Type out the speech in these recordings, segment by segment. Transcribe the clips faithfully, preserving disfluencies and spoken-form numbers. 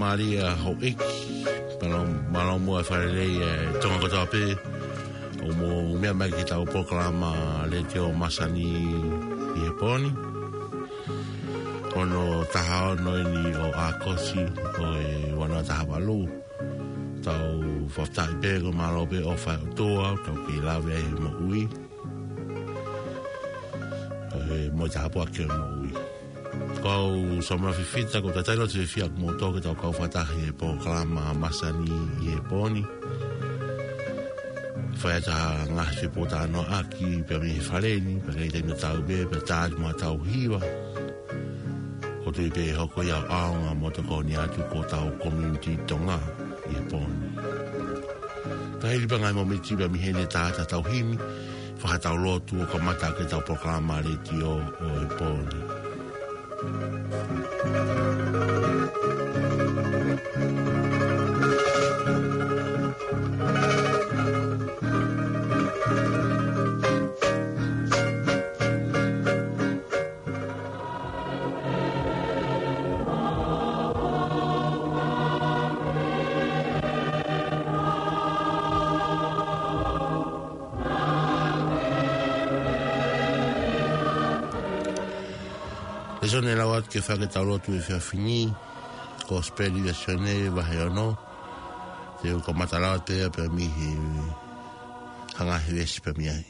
Mālie houʻeiki, mālō, mālō muʻa e fakalelei ʻa e Tonga kotoa pē, ʻoku mou meʻa mai ki heʻetau polokalama letiō masani ʻi he pō ni. Ko hono taha ono eni ʻo ʻAokosi ʻo e ua noa taha valu. Tau fakafetaʻi pē, ko e mālō pē ʻofa ʻa e ʻOtua, tau kei lave ai he moʻui. ʻE, mo e tāpuaki ʻo e moʻui. Ko au Samuela Fifita, ko e talitali lotu fiefia ʻamoutolu ke tau kau fakataha he polokalama masani ʻi he pō ni. Fai atu ha ngaahi fepōtalanoaʻaki, pea mei he fale ni, pea kei taimi tatau pē, pea tā atu mo ʻetau hiva. ʻOku ou tui pē ʻe hoko ia ʻo ʻaonga mo tokoni atu ki hotau community Tonga ʻi he pō ni. Ka hili pē ngaahi mōmeniti pea mei heni, tā atu ʻetau himi, fai haʻatau lotu ʻo kamata ʻaki ʻetau polokalama letiō ʻo e pō ni. Lēsoni ʻe lau atu ke fai ʻaki ʻetau lotu he efiafi ni, Kosipeli ʻa Sione vahe ono, te u kamata lau atu pē ia pea mei he, ha ngaahi veesi pea mei ai.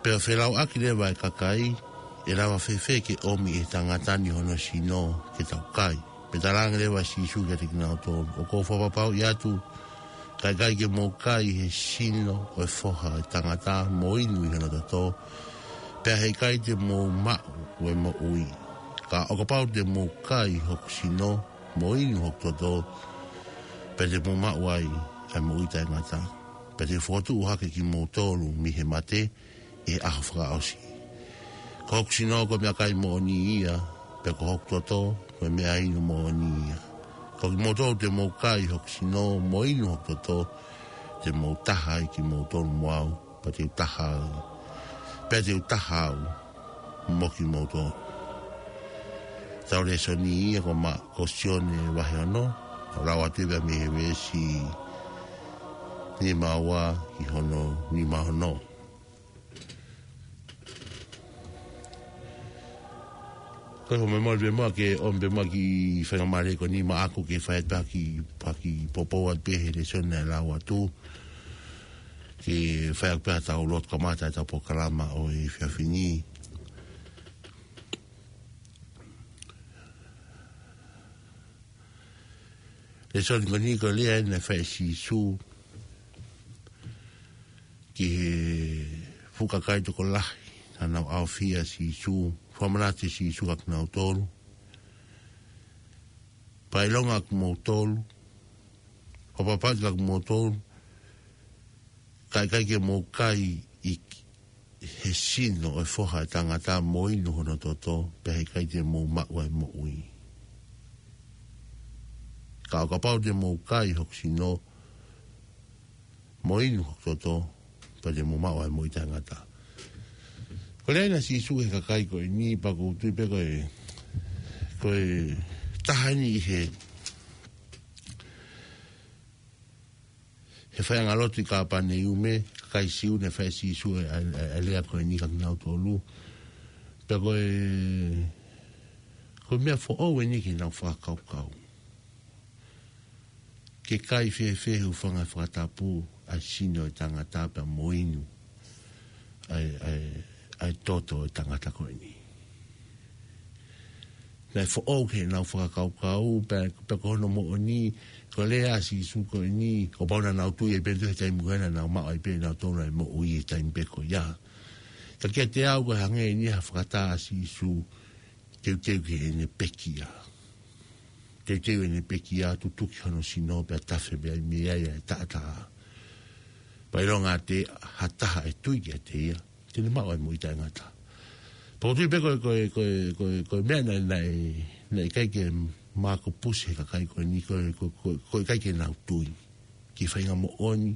Pea felauʻaki leva e kakai, ʻe lava fēfē ke ʻomi ʻe he tangata ni hono sino ke tau kai? Pea talaange leva ʻa Sīsū kiate kinautolu, ʻOku ou fakapapauʻi atu, ka ʻikai ke mou kai he sino ʻo e Foha ʻo e Tangata, mo inu ʻi hono toto, pea heʻikai te mou maʻu e moʻui. Ka ʻo kapau te mou kai hoku sino, mo inu hoku toto, pea te mou maʻu ai ʻa e moʻui taʻengata. Pea te u fokotuʻu hake kimoutolu mei he mate ʻi he ʻaho fakaʻosi. Ko hoku sino ko e meʻakai moʻoni ia, pea ko hoku toto ko e meʻainu moʻoni ia. Ko kimoutolu te mou kai hoku sino, mo inu hoku toto, te mou taha ai kimoutolu mo au, pea te u taha au, pea te u taha au mo kimoutolu. Tau lēsoni ia ko ma-, ko Sione vahe ono, ʻo lau atu ia mei he veesi nima ua ki hono nima ono. Ko e fo me mali pē muʻa ke ʻomi pē muʻa kiʻi faingamālie ko eni maʻaku ke fai atu ha kiʻi, ha kiʻi poupou atu pē he lēsoni naʻe lau atu. Ke fai atu pē haʻatau lotu kamata ʻetau polokalama ʻo e efiafi ni. Lēsoni ko eni ko e lea eni naʻe fai ʻe Sīsū ki he fuʻu kakai tokolahi naʻa nau ʻaofia ʻa Sīsū, fakamanatu ʻe Sīsū kiate kinautolu. Pea ʻilonga ʻa kimoutolu, fakapapauʻi atu kiate kimoutolu, ka ʻikai ke mou kai ʻi he sino ʻo e Foha ʻo e Tangata mo inu hono toto, pea heʻikai te mou maʻu ʻa e moʻui. Ka ʻo kapau te mou kai hoku sino, mo inu hoku toto, pea te mou maʻu ʻa e moʻui taʻengata. Ko e lea eni ʻa Sīsū ki he kakai ko eni, pea ʻoku ou tui pē ko e, ko e taha eni ʻi he he faiʻanga lotu ʻi Kāpaneume, kakai Siu, naʻe fai ʻe Sīsū e, e, e, e lea ko eni kiate kinautolu. Pea ko e, ko e meʻa foʻou eni ke nau fakakaukau. Ke kai fēfē he ʻoku fanga fakatapu ʻa e sino ʻo e tangata pea mo inu ʻa e, ʻa e, ʻa e toto ʻo e tangata ko eni. Naʻe foʻou ke nau fakakaukau, pea, pea ko hono moʻoni, ko e lea ʻa Sīsū ko eni, kuo pau naʻa nau tui ai pē nautolu he taimi ko ē naʻa nau maʻu ai pē nautolu ʻa e moʻui he taimi pē ko ia. Ka kiate au ko e hangē eni ha fakatā ʻa Sīsū, teuteu ki heʻene pekia. Teuteu ʻene pekia, tutuki hono sino, pea tafe pē ai mei ai ʻa e taʻataʻa. Pea ʻilonga ʻa e, ha taha ʻe tui kiate ia, te ne maʻu ʻa e moʻui taʻengata. Pea ʻoku ou tui pē ko e, ko e, ko e, ko e, ko e meʻa naʻe, naʻe, naʻe ʻikai ke makupusi he kakai ko eni, ko e, ko e, ko e, ko e ʻikai ke nau tui ki he faʻahinga moʻoni,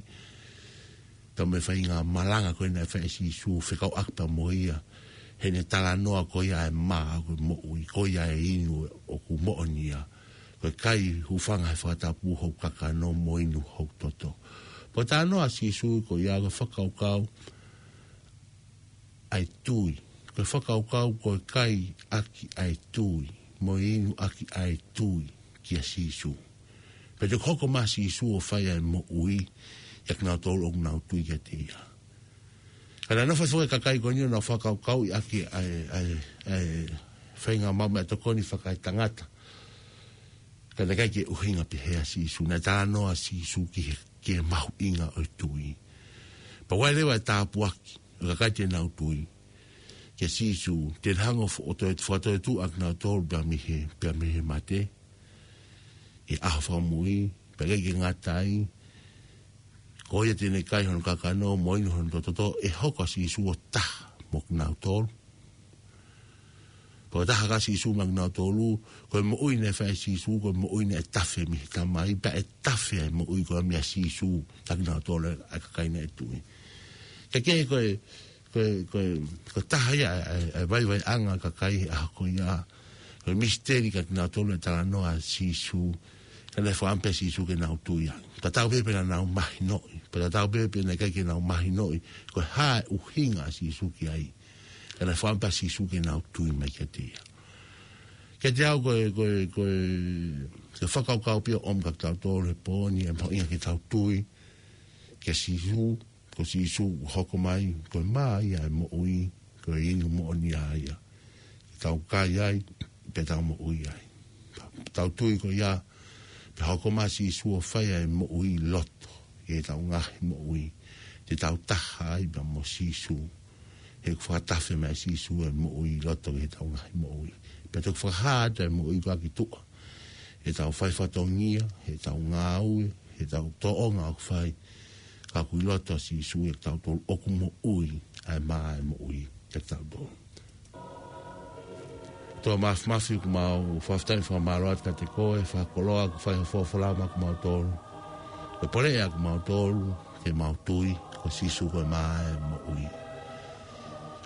pea mo e faʻahinga malanga ko ē naʻe fai ʻe Sīsū fekauʻaki pea mo ia Heʻene talanoa ko ia ʻa e mā ʻoku moʻui, ko ia ʻe inu ʻoku moʻoni ia. Ko e kai hūfanga he fakatapu hoku kakano mo inu hoku toto. Pea talanoa ʻa Sīsū ko ia ko e fakakaukau ʻa e tui. Ko e fakakaukau ko e kai ʻaki ʻa e tui, mo inu ʻaki ʻa e tui kia Sīsū. Pea toki hoko mai ʻa Sīsū ʻo fai ʻa e moʻui, ʻiate kinautolu ʻoku nau tui kiate ia. Ka naʻe nofo foki e kakai ko eni ʻo nau fakakaukauʻi ʻaki ʻa e, ʻa e, ʻa e faingamālie mo e tokoni fakaetangata. Ka naʻe ʻikai ke ʻuhinga pehē ʻa Sīsū, naʻe talanoa ʻa Sīsū ki he, ki he mahuʻinga ʻo e tui. Pea ʻoku ʻi ai leva e tāpuaki ʻo e kakai te nau tui kia Sīsū, te ne hanga ʻo fo-, ʻo toe, fakatoetuʻu ʻa kinautolu pea mei he, pea mei he mate. ʻI he ʻaho fakamuʻa, pea ʻikai ke ngata ai, ko ia te ne kai hono kakano mo inu hono toto, ʻe hoko ʻa Sīsū ʻo taha mo kinautolu. Pea ʻoku taha ʻa Sīsū mo kinautolu, ko e moʻui naʻe fai ʻe Sīsū, ko e moʻui naʻe tafe mei he Tamai, pea ʻe tafe ʻa e moʻui ko ia meia Sīsū kia kinautolu ʻa e kakai naʻe tui. Ka ke ko e, ko e, ko e, ko e taha ia ʻa e, ʻa e, ʻa e vaivaiʻanga ʻa e kakai he ʻaho ko ia. Ko e misiteli kia kinautolu ʻa e talanoa ʻa Sīsū. Ka naʻe fakaʻamu pē ʻa Sīsū ke nau tui ai. Tatau pē pe naʻa nau mahinoʻi. Pea tatau pē pe naʻe ʻikai ke nau mahinoʻi ko e hā e ʻuhinga ʻa Sīsū ki ai. Ka naʻe fakaʻamu pē ʻa Sīsū ke nau tui mai kiate ia. Kiate au ko e, ko e, ko e, ko e fakakaukau pē ia ʻoku ʻomi kia kitautolu he pō ni, ʻa e mahuʻinga ke tau tui kia Sīsū, ko Sīsū ʻoku hoko mai, ko e mā ia ʻo e moʻui, ko e inu moʻoni ia ia. Ke tau kai ai, pea tau moʻui ai. Tau tui ko ia, pea hoko mai ʻa Sīsū ʻo fai ʻa e moʻui ʻi loto ʻi heʻetau ngaahi moʻui. Te tau taha ai pea mo Sīsū. He ʻoku fakatafe mai ʻe Sīsū ʻa e moʻui ʻi loto ʻi heʻetau ngaahi moʻui. Pea toki fakahā atu ʻa e moʻui ko ia ki tuʻa. Heʻetau fai fatongia, heʻetau ngāue, heʻetau tōʻonga ʻoku fai. Ka ʻoku ʻi loto ʻa Sīsū ʻiate kitautolu, ʻoku moʻui ʻa e mā ʻo e moʻui ʻiate kitautolu. ʻOtua Māfimafi, ʻoku mau fakafetaʻi mo fakamālō atu kiate koe, fakakoloa ʻoku fai ho folofola maʻa kimautolu. Ko e poleʻi ʻa kimautolu, ke mau tui, ko Sīsū ko e mā ʻo e moʻui.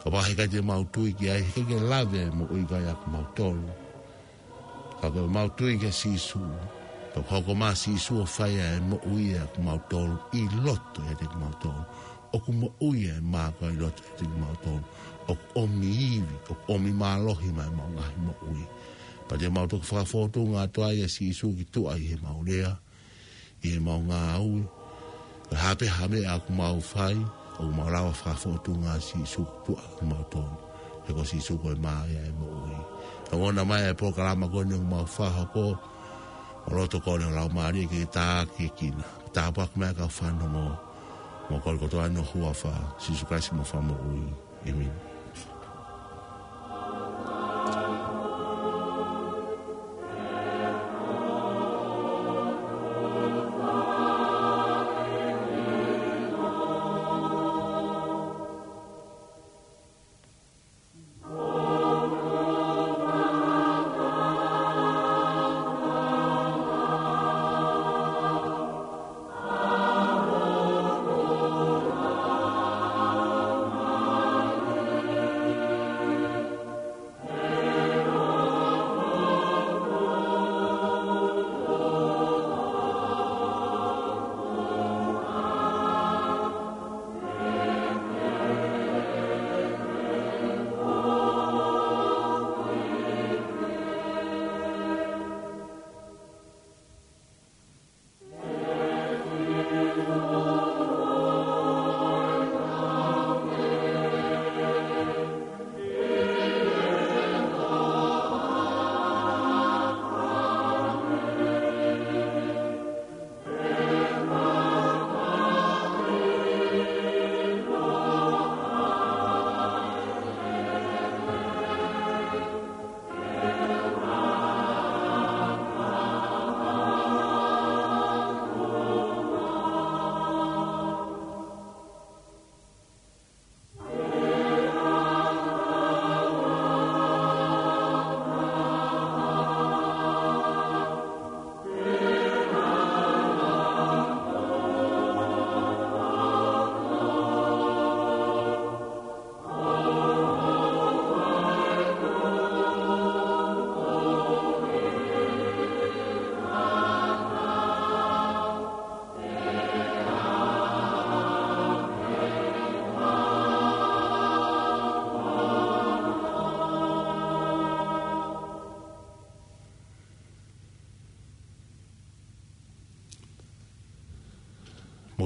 ʻO pau he ʻikai te mau tui ki ai, he ʻikai ke lave ʻa e moʻui ko ia ʻia kimautolu. Ka ko ʻemau tui kia Sīsū, pea ʻoku hoko mai ʻa Sīsū ʻo fai ʻa e moʻui ʻia kimautolu ʻi loto ʻiate kimautolu. ʻOku moʻui ʻa e mā ko ia ʻi loto ʻiate kimautolu. ʻOku ʻomi ivi, ʻoku ʻomi mālohi maʻa ʻemau ngaahi moʻui. Pea te mau toki fakafōtunga atu ai ʻa Sīsū ki tuʻa ʻi heʻemau lea, ʻi heʻemau ngāue. Ko e hā pē ha meʻa ʻoku mau fai, ʻoku mau lava fakafōtunga ʻa Sīsū ki tuʻa ʻia kimautolu. He ko Sīsū ko e mā ia ʻo e moʻui. Ka ʻoua naʻa ʻai ʻa e polokalama ko eni ʻoku mau fakahoko, ʻo loto ko eni ʻo Laumālie ke tākiekina. Tāpuaki mai ʻa e kau fanongo. Mau kole kotoa ʻi ho huafa, Sīsū Kalaisi homau Fakamoʻui. ʻĒmeni.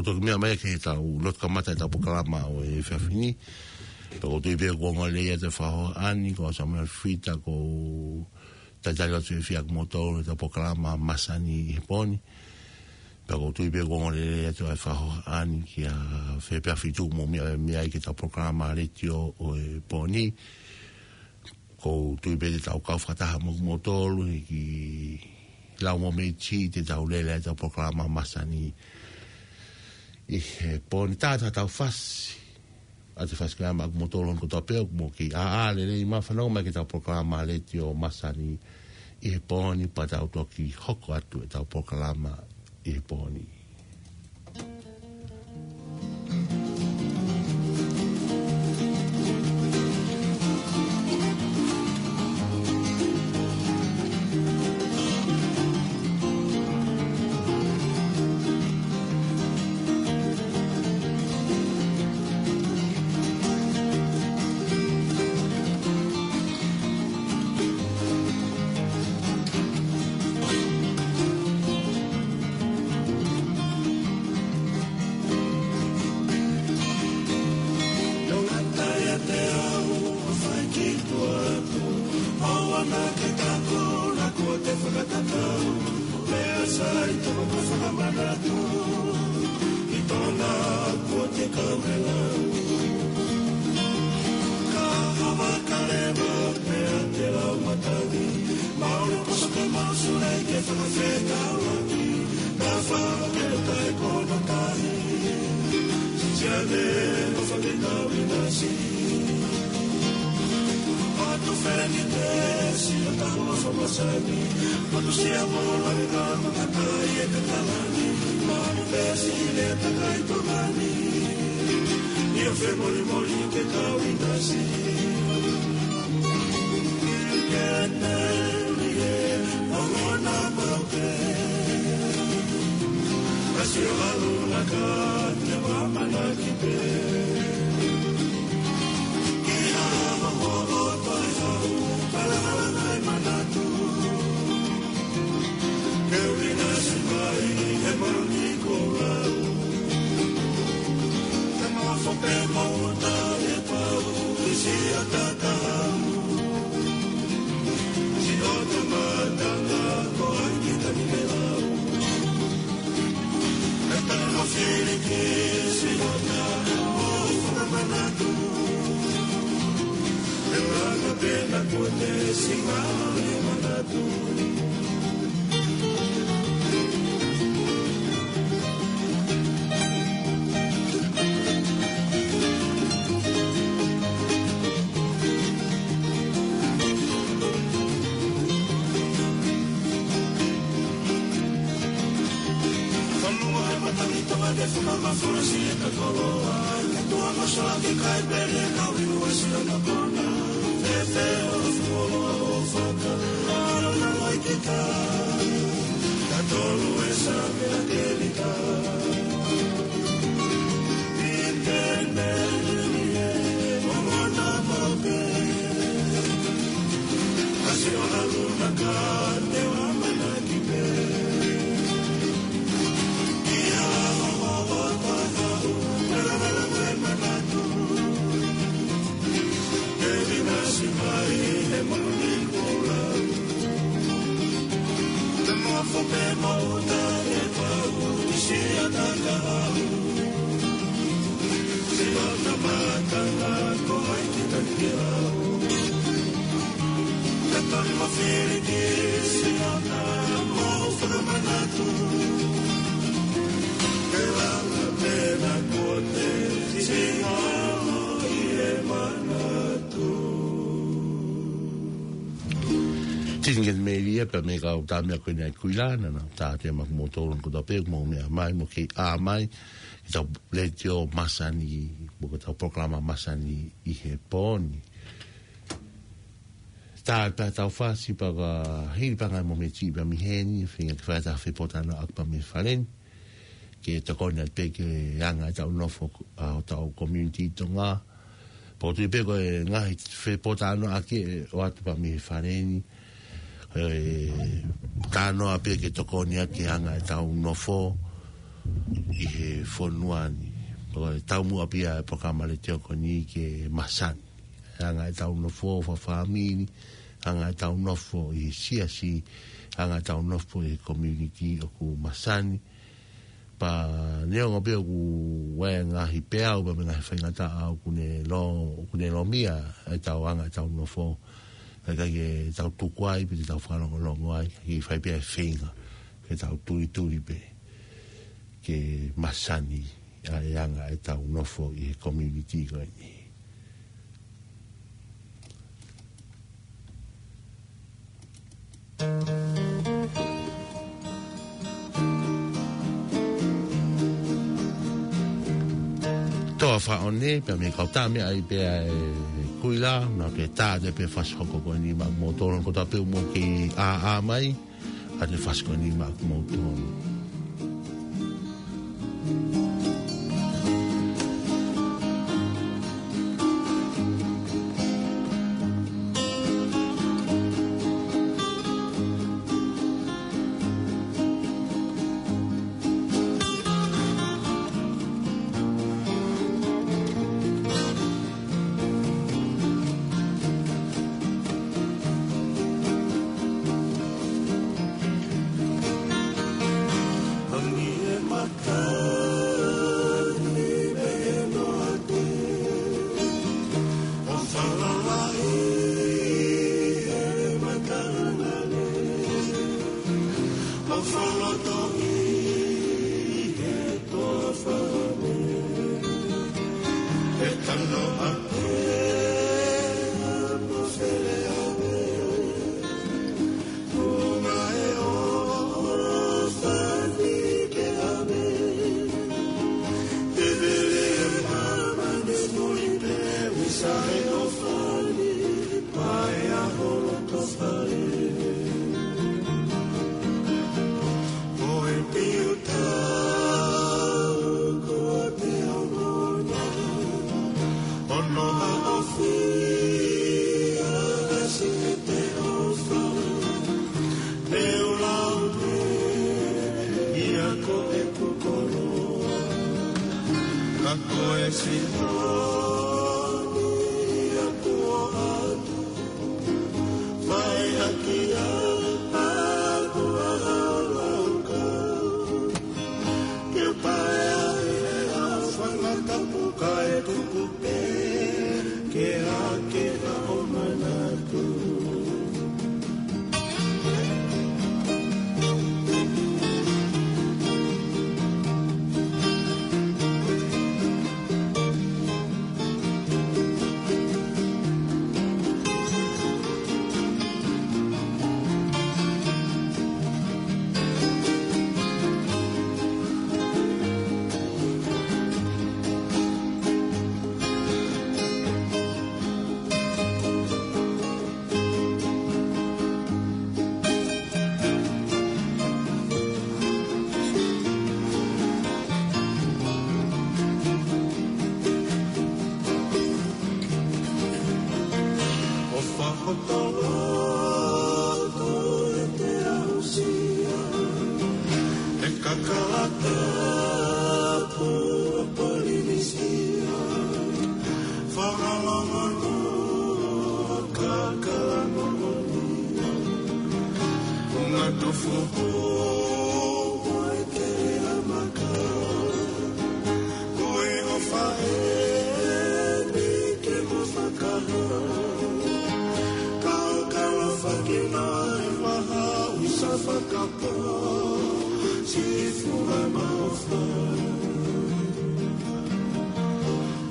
Toki meʻa mai ki heʻetau lotu kamata ʻetau polokalama ʻo e efiafi ni. Pea ʻoku ou tui pē kuo ongo lelei atu e fakahohaʻa ni, ko Samuela Fita, ko e talitali atu e fiefia ʻa kimoutolu ʻetau polokalama masani ʻi he pō ni. Pea ʻoku ou tui pē kuo ongo lelei atu e fakahohaʻa ni kia Fepea Fitu mo meʻa, meʻa ai ki heʻetau polokalama letiō ʻo e pō ni. ʻOku ou tui pē te tau kau fakataha mo kimoutolu he kiʻi lau mo meʻa ʻi heʻetau lele ʻetau polokalama masani ʻi he pō ni. Tātā tau fasi ʻa e fasi ko ia maʻa kimoutolu kotoa pē ʻoku mou kei ʻā lelei mai fanongo mai ki heʻetau polokalama letiō masani ʻi he pō ni, pea tau toki hoko atu ʻetau polokalama ʻi he pō ni. ʻO ngata ʻiate au ʻa e fai ki tuʻa atu, ʻoua naʻa ke tako naʻa kuo te fakatatau, pea sai tō ko e fakamanatu ki tōna kuo te kau he lau. Ka hava kalema pea te lau matangi, maʻu le poso ke maʻu sule ke fakafekauʻaki, ka fakaketai kono tahi. Siane ʻo fakekau ʻinasi. Atu feni te si o tau a famasani. Atu sia mo la ka mo ka tai e te talani. Mani pesi le takai tokani. Ia femolimoli ke kau ʻinasi. Ke te uli e ongona pau pē. Kasi o alu na ka te wa manaki pē. Ki ha wa mo o toi hau, kala kala nai manatu. Ke uli na si mai, he mani ko lau. Te mafo pē mo ta e pau, isi o takau. Si o te matanga ko ai ki tani me lau. Ka tana mo fili ki si o ta o fakamanatu. E langa pena ko te si ngalo e manatu. Fanua e matangi toka te faka ma fora si e ka koloa. Ke tua ma soa ke kai pele ka winu e si o na kona. Te te o fuolo o faka. Alo na mai ke ka. Ka tolu e sa me na ke ni ka. Tini ke melia pea mei he kau tā meʻa ko eni ʻa Kuila, naʻa na tā te maku mo tolu ko tā pē mo meʻa mai mo kei ʻā mai ʻi heʻetau letiō masani, mo ʻetau polokalama masani ʻi he pō ni. Tā pē ʻetau fasi pea ka hili pē ngaahi mōmeniti pē mei heni, feinga ke fai ʻetau fepotalanoaʻaki pē mei fale ni. Ke tokoni atu pē ki he anga ʻetau nofo ʻa hotau community Tonga. Pea ʻoku ou tui pē ko e ngaahi fepotalanoaʻaki ʻe ʻoatu pē mei fale ni. ʻE talanoa pē ke tokoni atu ki he anga ʻetau nofo. ʻi he fonua ni. ʻOku taumuʻa pē ʻa e polokalama letiō ko eni ke masani ʻa e anga ʻetau nofo fakafāmili, anga ʻetau nofo ʻi he siasi, anga ʻetau nofo ʻi he community ʻoku masani. Pea neongo pē ʻoku ʻi ai e ngaahi peau pea mo e ngaahi faingataʻa ʻoku ne lo-, ʻoku ne lōmia ʻetau anga ʻetau nofo, ka ʻikai ke tau tuku ai pe te tau fakalongolongo ai, ka ke fai pē ʻa e feinga ke tau tulituli pē ke masani ʻa e anga ʻetau nofo ʻi he community ko eni. Toa Faʻone, pea mei he kau tame ai pē ʻa e kuila, na ke tā te pē fasi hoko ko eni maʻa moutolu, ko tā pē mo ke ʻā ʻā mai, ʻa e fasi ko eni maʻa moutolu.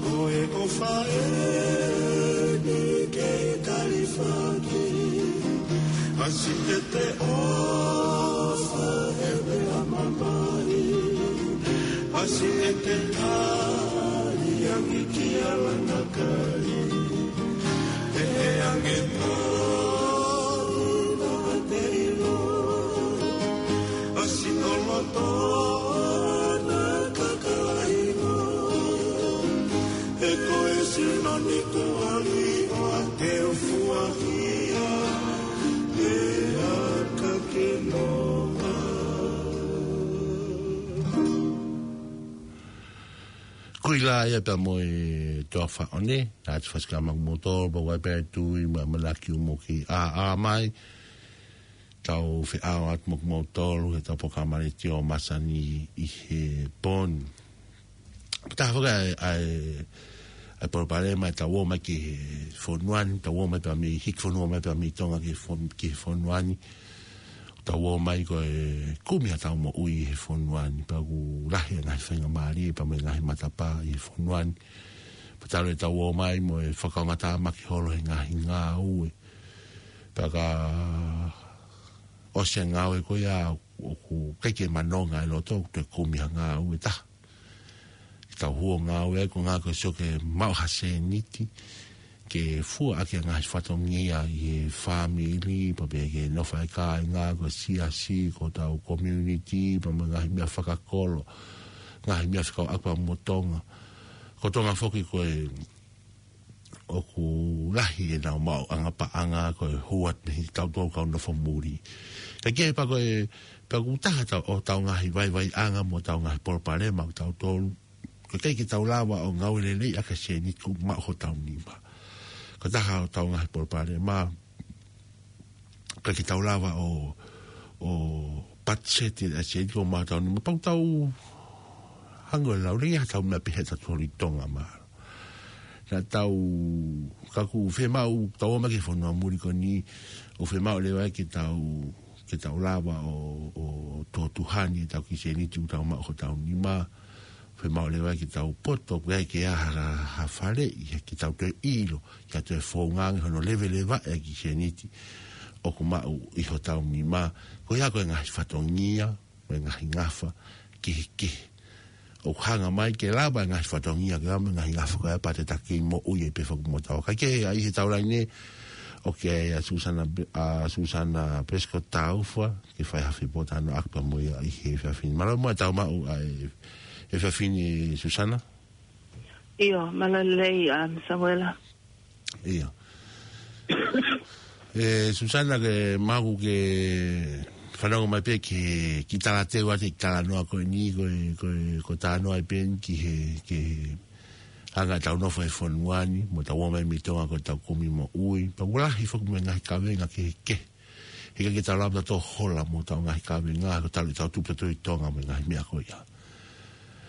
Ko e ʻofa eni kei Kalifaki, ʻasi ʻete ʻofa he meʻa mamahi, ʻasi ʻete tali angi ki a lana kai, he ʻe ange pau na te ilo, ʻasi ʻo loto na kakaino. He ko e sino ni kuali o a te ufuahia, he aka ke noa. Ui la ia pea mo e toa faʻone, na atu fasikā maku moutolu, pea ua pea tui, ma manaki umo ki a a mai. Tau feʻao atu maku moutolu, he tau polokalama letiō masani ʻi he pō ni. Pea taha foki ʻa e, ʻa e, ʻa e palopalema, tau ō mai ki he fonua ni, tau ō mai pea mei, hiki fonua mai pea mei Tonga ki he fon-, ki he fonua ni. Tau ō mai ko e kumi ʻa tau moʻui he fonua ni, pea ʻoku lahi ʻa e ngaahi faingamālie, pea mo e ngaahi matapā ʻi he fonua ni. Pea talu ʻetau ō mai mo e fakaongoongo tāmaki holo he ngaahi ngāue. Pea ka ʻosi e ngāue ko ia ʻoku ʻikai ke manonga e loto, ʻoku toe kumi ha ngāue taha. Ke tau hū ʻo ngāue ai ko e ngāue ko e sio ke maʻu ha sēniti, ke fua ʻaki ʻa e ngaahi fatongia ʻi he fāmili, pea pehē ke nofo ai kāinga, ko e siasi, ko hotau community, pea mo e ngaahi meʻa fakakolo, ngaahi meʻa fekauʻaki pea mo Tonga. Ko Tonga foki ko e ʻoku lahi ʻenau maʻuʻanga paʻanga ko e hū atu mei he tautolu kau nofo muli. Ka ke pea ko e, pea ʻoku taha tau, ʻo tau ngaahi vaivaiʻanga mo tau ngaahi palopalema ʻo tautolu. Ko e ʻikai ke tau lava ʻo ngāue lelei ʻaki e sēniti ʻoku maʻu hotau nima. Ko e taha ʻo tau ngaahi palopalema, ʻikai ke tau lava ʻo, ʻo patiseti ʻa e sēniti ʻoku maʻu hotau nima. Pea ʻoku tau hangē ʻoku laulelei ʻa hotau meʻa pehē ʻa tautolu ʻi Tonga mā. Na tau, ka ʻoku fiemaʻu, tau ō mai ki he fonua muli ko eni, ʻoku fiemaʻu leva ke tau, ke tau lava ʻo, ʻo tuʻotuʻoni ʻetau kiʻi sēniti ʻoku tau maʻu hotau nima. Fiemaʻu leva ke tau poto, ʻoku ʻikai ke ʻi ai ha, ha faleʻi, ke tau toe ʻilo, ke tau toe founga ange hono leveleva e kiʻi sēniti ʻoku maʻu ʻi hotau nima. Ko ia ko e ngaahi fatongia, mo e ngaahi ngafa kehekehe. ʻOku hanga mai ke lava e ngaahi fatongia ke lava mo e ngaahi ngafa ko ia pea te taki moʻui ai pē foki mo taua. Ka ke ʻai he taulaine, ʻoku ʻi ai ʻa Susana Be-, ʻa Susana Prescott Taufa, ke fai ha fepōtalanoaʻaki pea mo ia ʻi he efiafi ni. Mālō muʻa e tau maʻu ʻa e, efiafi ni Susana. ʻIo, mālō e lelei, um, Samuela. ʻIo. ʻE, Susana, ke maʻu ke fanongo mai pē ki he, ki he talateu ʻa e talanoa ko eni, ko e, ko e, ko e talanoa ʻi pē eni ki he, ki he anga ʻetau nofo he fonua ni, mo tau ō mai mei Tonga ko ʻetau kumi moʻui. Pea ʻoku lahi foki mo e ngaahi kavenga kehekehe. He ʻikai ke tau lava ʻo hola mo tau ngaahi kavenga, ko e talu ʻetau tupu tautolu ʻi Tonga mo e ngaahi meʻa ko ia.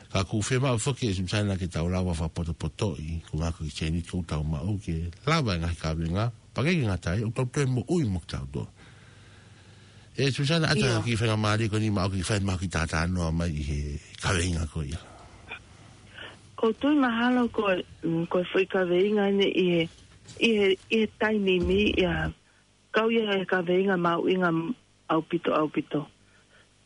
Ka ʻoku fiemaʻu foki ʻe Susana ke tau lava fakapotopotoʻi, ko e ngaahi kiʻi sēniti ʻoku tau maʻu ke lava e ngaahi kavenga, pea ʻikai ke ngata ai, ʻoku tau toe moʻui mo kitautolu. ʻE Susana, ʻata ʻIo. Kiʻi faingamālie ko eni maʻu ke fai maʻu kiʻi talanoa mai ʻi he kavenga ko ia. ʻOku ou tui mahalo ko e, mm, ko e foʻi kavenga eni ʻi he, ʻi he, ʻi he taimi ni ia, kau ia he kavenga mahuʻinga ʻaupito, ʻaupito.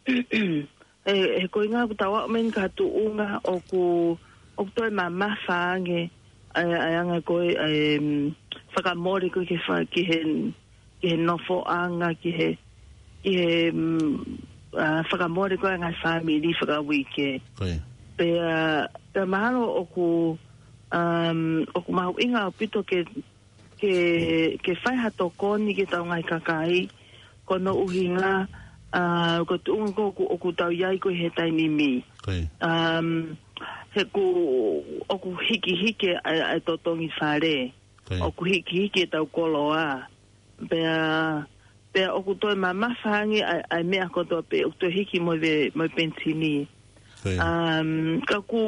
ʻE, he ko e ʻuhinga ʻoku tau aʻu mai eni ki ha tuʻunga ʻoku, ʻoku toe mamafa ange, ʻa e, ʻa e anga ko e, ʻa e, mm, fakamole ko ē ki he fa-, ki he, ki he nofoʻanga, ki he, ki he, mm, ʻa, fakamole ko ē ʻa e ngaahi fāmili fakauike. Ko ia. Pea, pea mahalo ʻoku, um, ʻoku mahuʻinga ʻaupito ke ke, ke fai ha tokoni ki heʻetau ngaahi kakai, ko hono ʻuhinga, ʻa, ko e tuʻunga ko ē ʻoku, ʻoku tau ʻi ai ko ē he taimi ni. Ko ia. Um, he ʻoku, ʻoku hikihiki ʻa e, ʻa e totongi fale. Ko ia. ʻOku hikihiki ʻetau koloa. Pea, pea ʻoku toe mamafa ange ʻa e, ʻa e meʻa kotoa pē, ʻoku toe hiki mo e, mo e penisini. Ko ia. Um, ka ʻoku,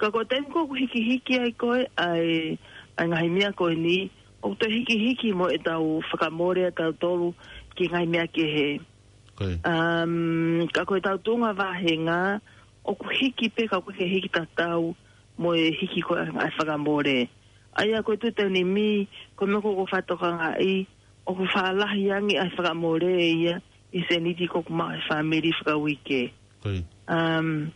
ka ko e taimi ko ē ʻoku hikihiki ai ko ē ʻa e, ʻa e ngaahi meʻa ko eni, ʻoku toe hikihiki mo ʻetau fakamole ʻa tautolu ki he ngaahi meʻa kehe. Ko ia. Um, ka ko ʻetau tuʻunga vāhenga, ʻoku hiki pē ka ʻoku ʻikai ke hiki tatau mo e hiki ko ē ʻa e fakamole. ʻA ia ko e tuʻu he taimi ni, ko e meʻa ko ē ʻoku ou fakatokangaʻi, ʻoku faʻa lahi ange ʻa e fakamole ia ʻi he sēniti ko ē ʻoku maʻu ʻe he fāmili fakauike. Ko ia. Um,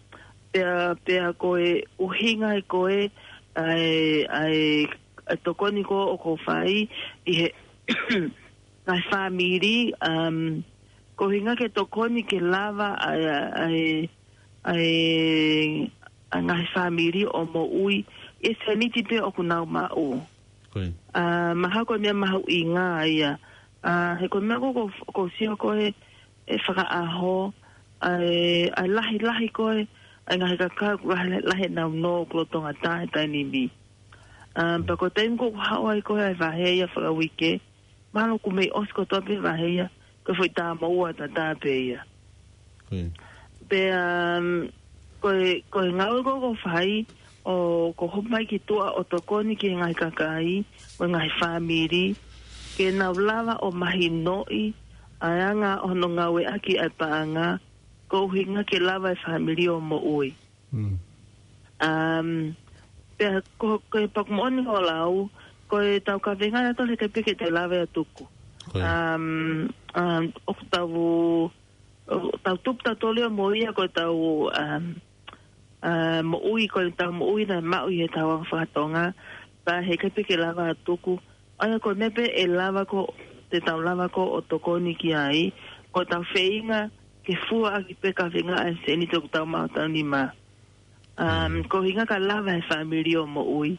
pea, pea ko e ʻuhinga ia ko ē, ʻa e, ʻa e, ʻa e tokoni ko ē ʻoku ou fai ʻi he ngaahi fāmili, um, ko e ʻuhinga ke tokoni ke lava ʻa e, ʻa e, ʻa e, ʻa e ngaahi fāmili ʻo moʻui ʻi he sēniti pē ʻoku nau maʻu. Ko ia. ʻA, mahalo ko e meʻa mahuʻinga ia. ʻA, he ko e meʻa ko ē ʻoku, ʻoku ou sio ko ē he fakaʻaho, ʻa e, ʻa e lahilahi ko ē ʻa e ngaahi kakai ʻoku lahi, lahi ʻenau nō ʻoku lolotonga tā he taimi ni. Um, pea ko e taimi ko ē ʻoku haʻu ai ko ē ʻa e vahe ia fakauike, mahalo ʻoku mei ʻosi kotoa pē vahe ia, ko e foʻi tā moʻua tatā pē ia. Pea, um, ko e, ko e ngāue ko ē ʻoku fai, ʻoku hopo mai ki tuʻa ʻo tokoni ki he ngaahi kakai, mo e ngaahi fāmili, ke nau lava ʻo mahinoʻi ʻa e anga hono ngāueʻaki ʻa e paʻanga, ko e ʻuhinga ke lava e fāmili ʻo moʻui. Um, pea ko, ko e paku moʻoni ʻo lau, ko e tau kavenga na tole ke peke te lava ia tuku. Um, um, ʻoku tau, ʻoku tau tupu tau tole ʻo moʻui ia ko e tau, um, uh, moʻui, ko e tau moʻui na maʻu ʻi he tau anga fakatonga, pea he ke peke lava tuku. ʻA ia ko e meʻa pē ʻe lava ko, te tau lava ko ʻo tokoni ki ai, ko e tau feinga ke fua ʻaki pē kavenga ʻa e sēniti ʻoku tau maʻu taimi ni. Um, ko e ʻuhinga ka lava e fāmili ʻo moʻui.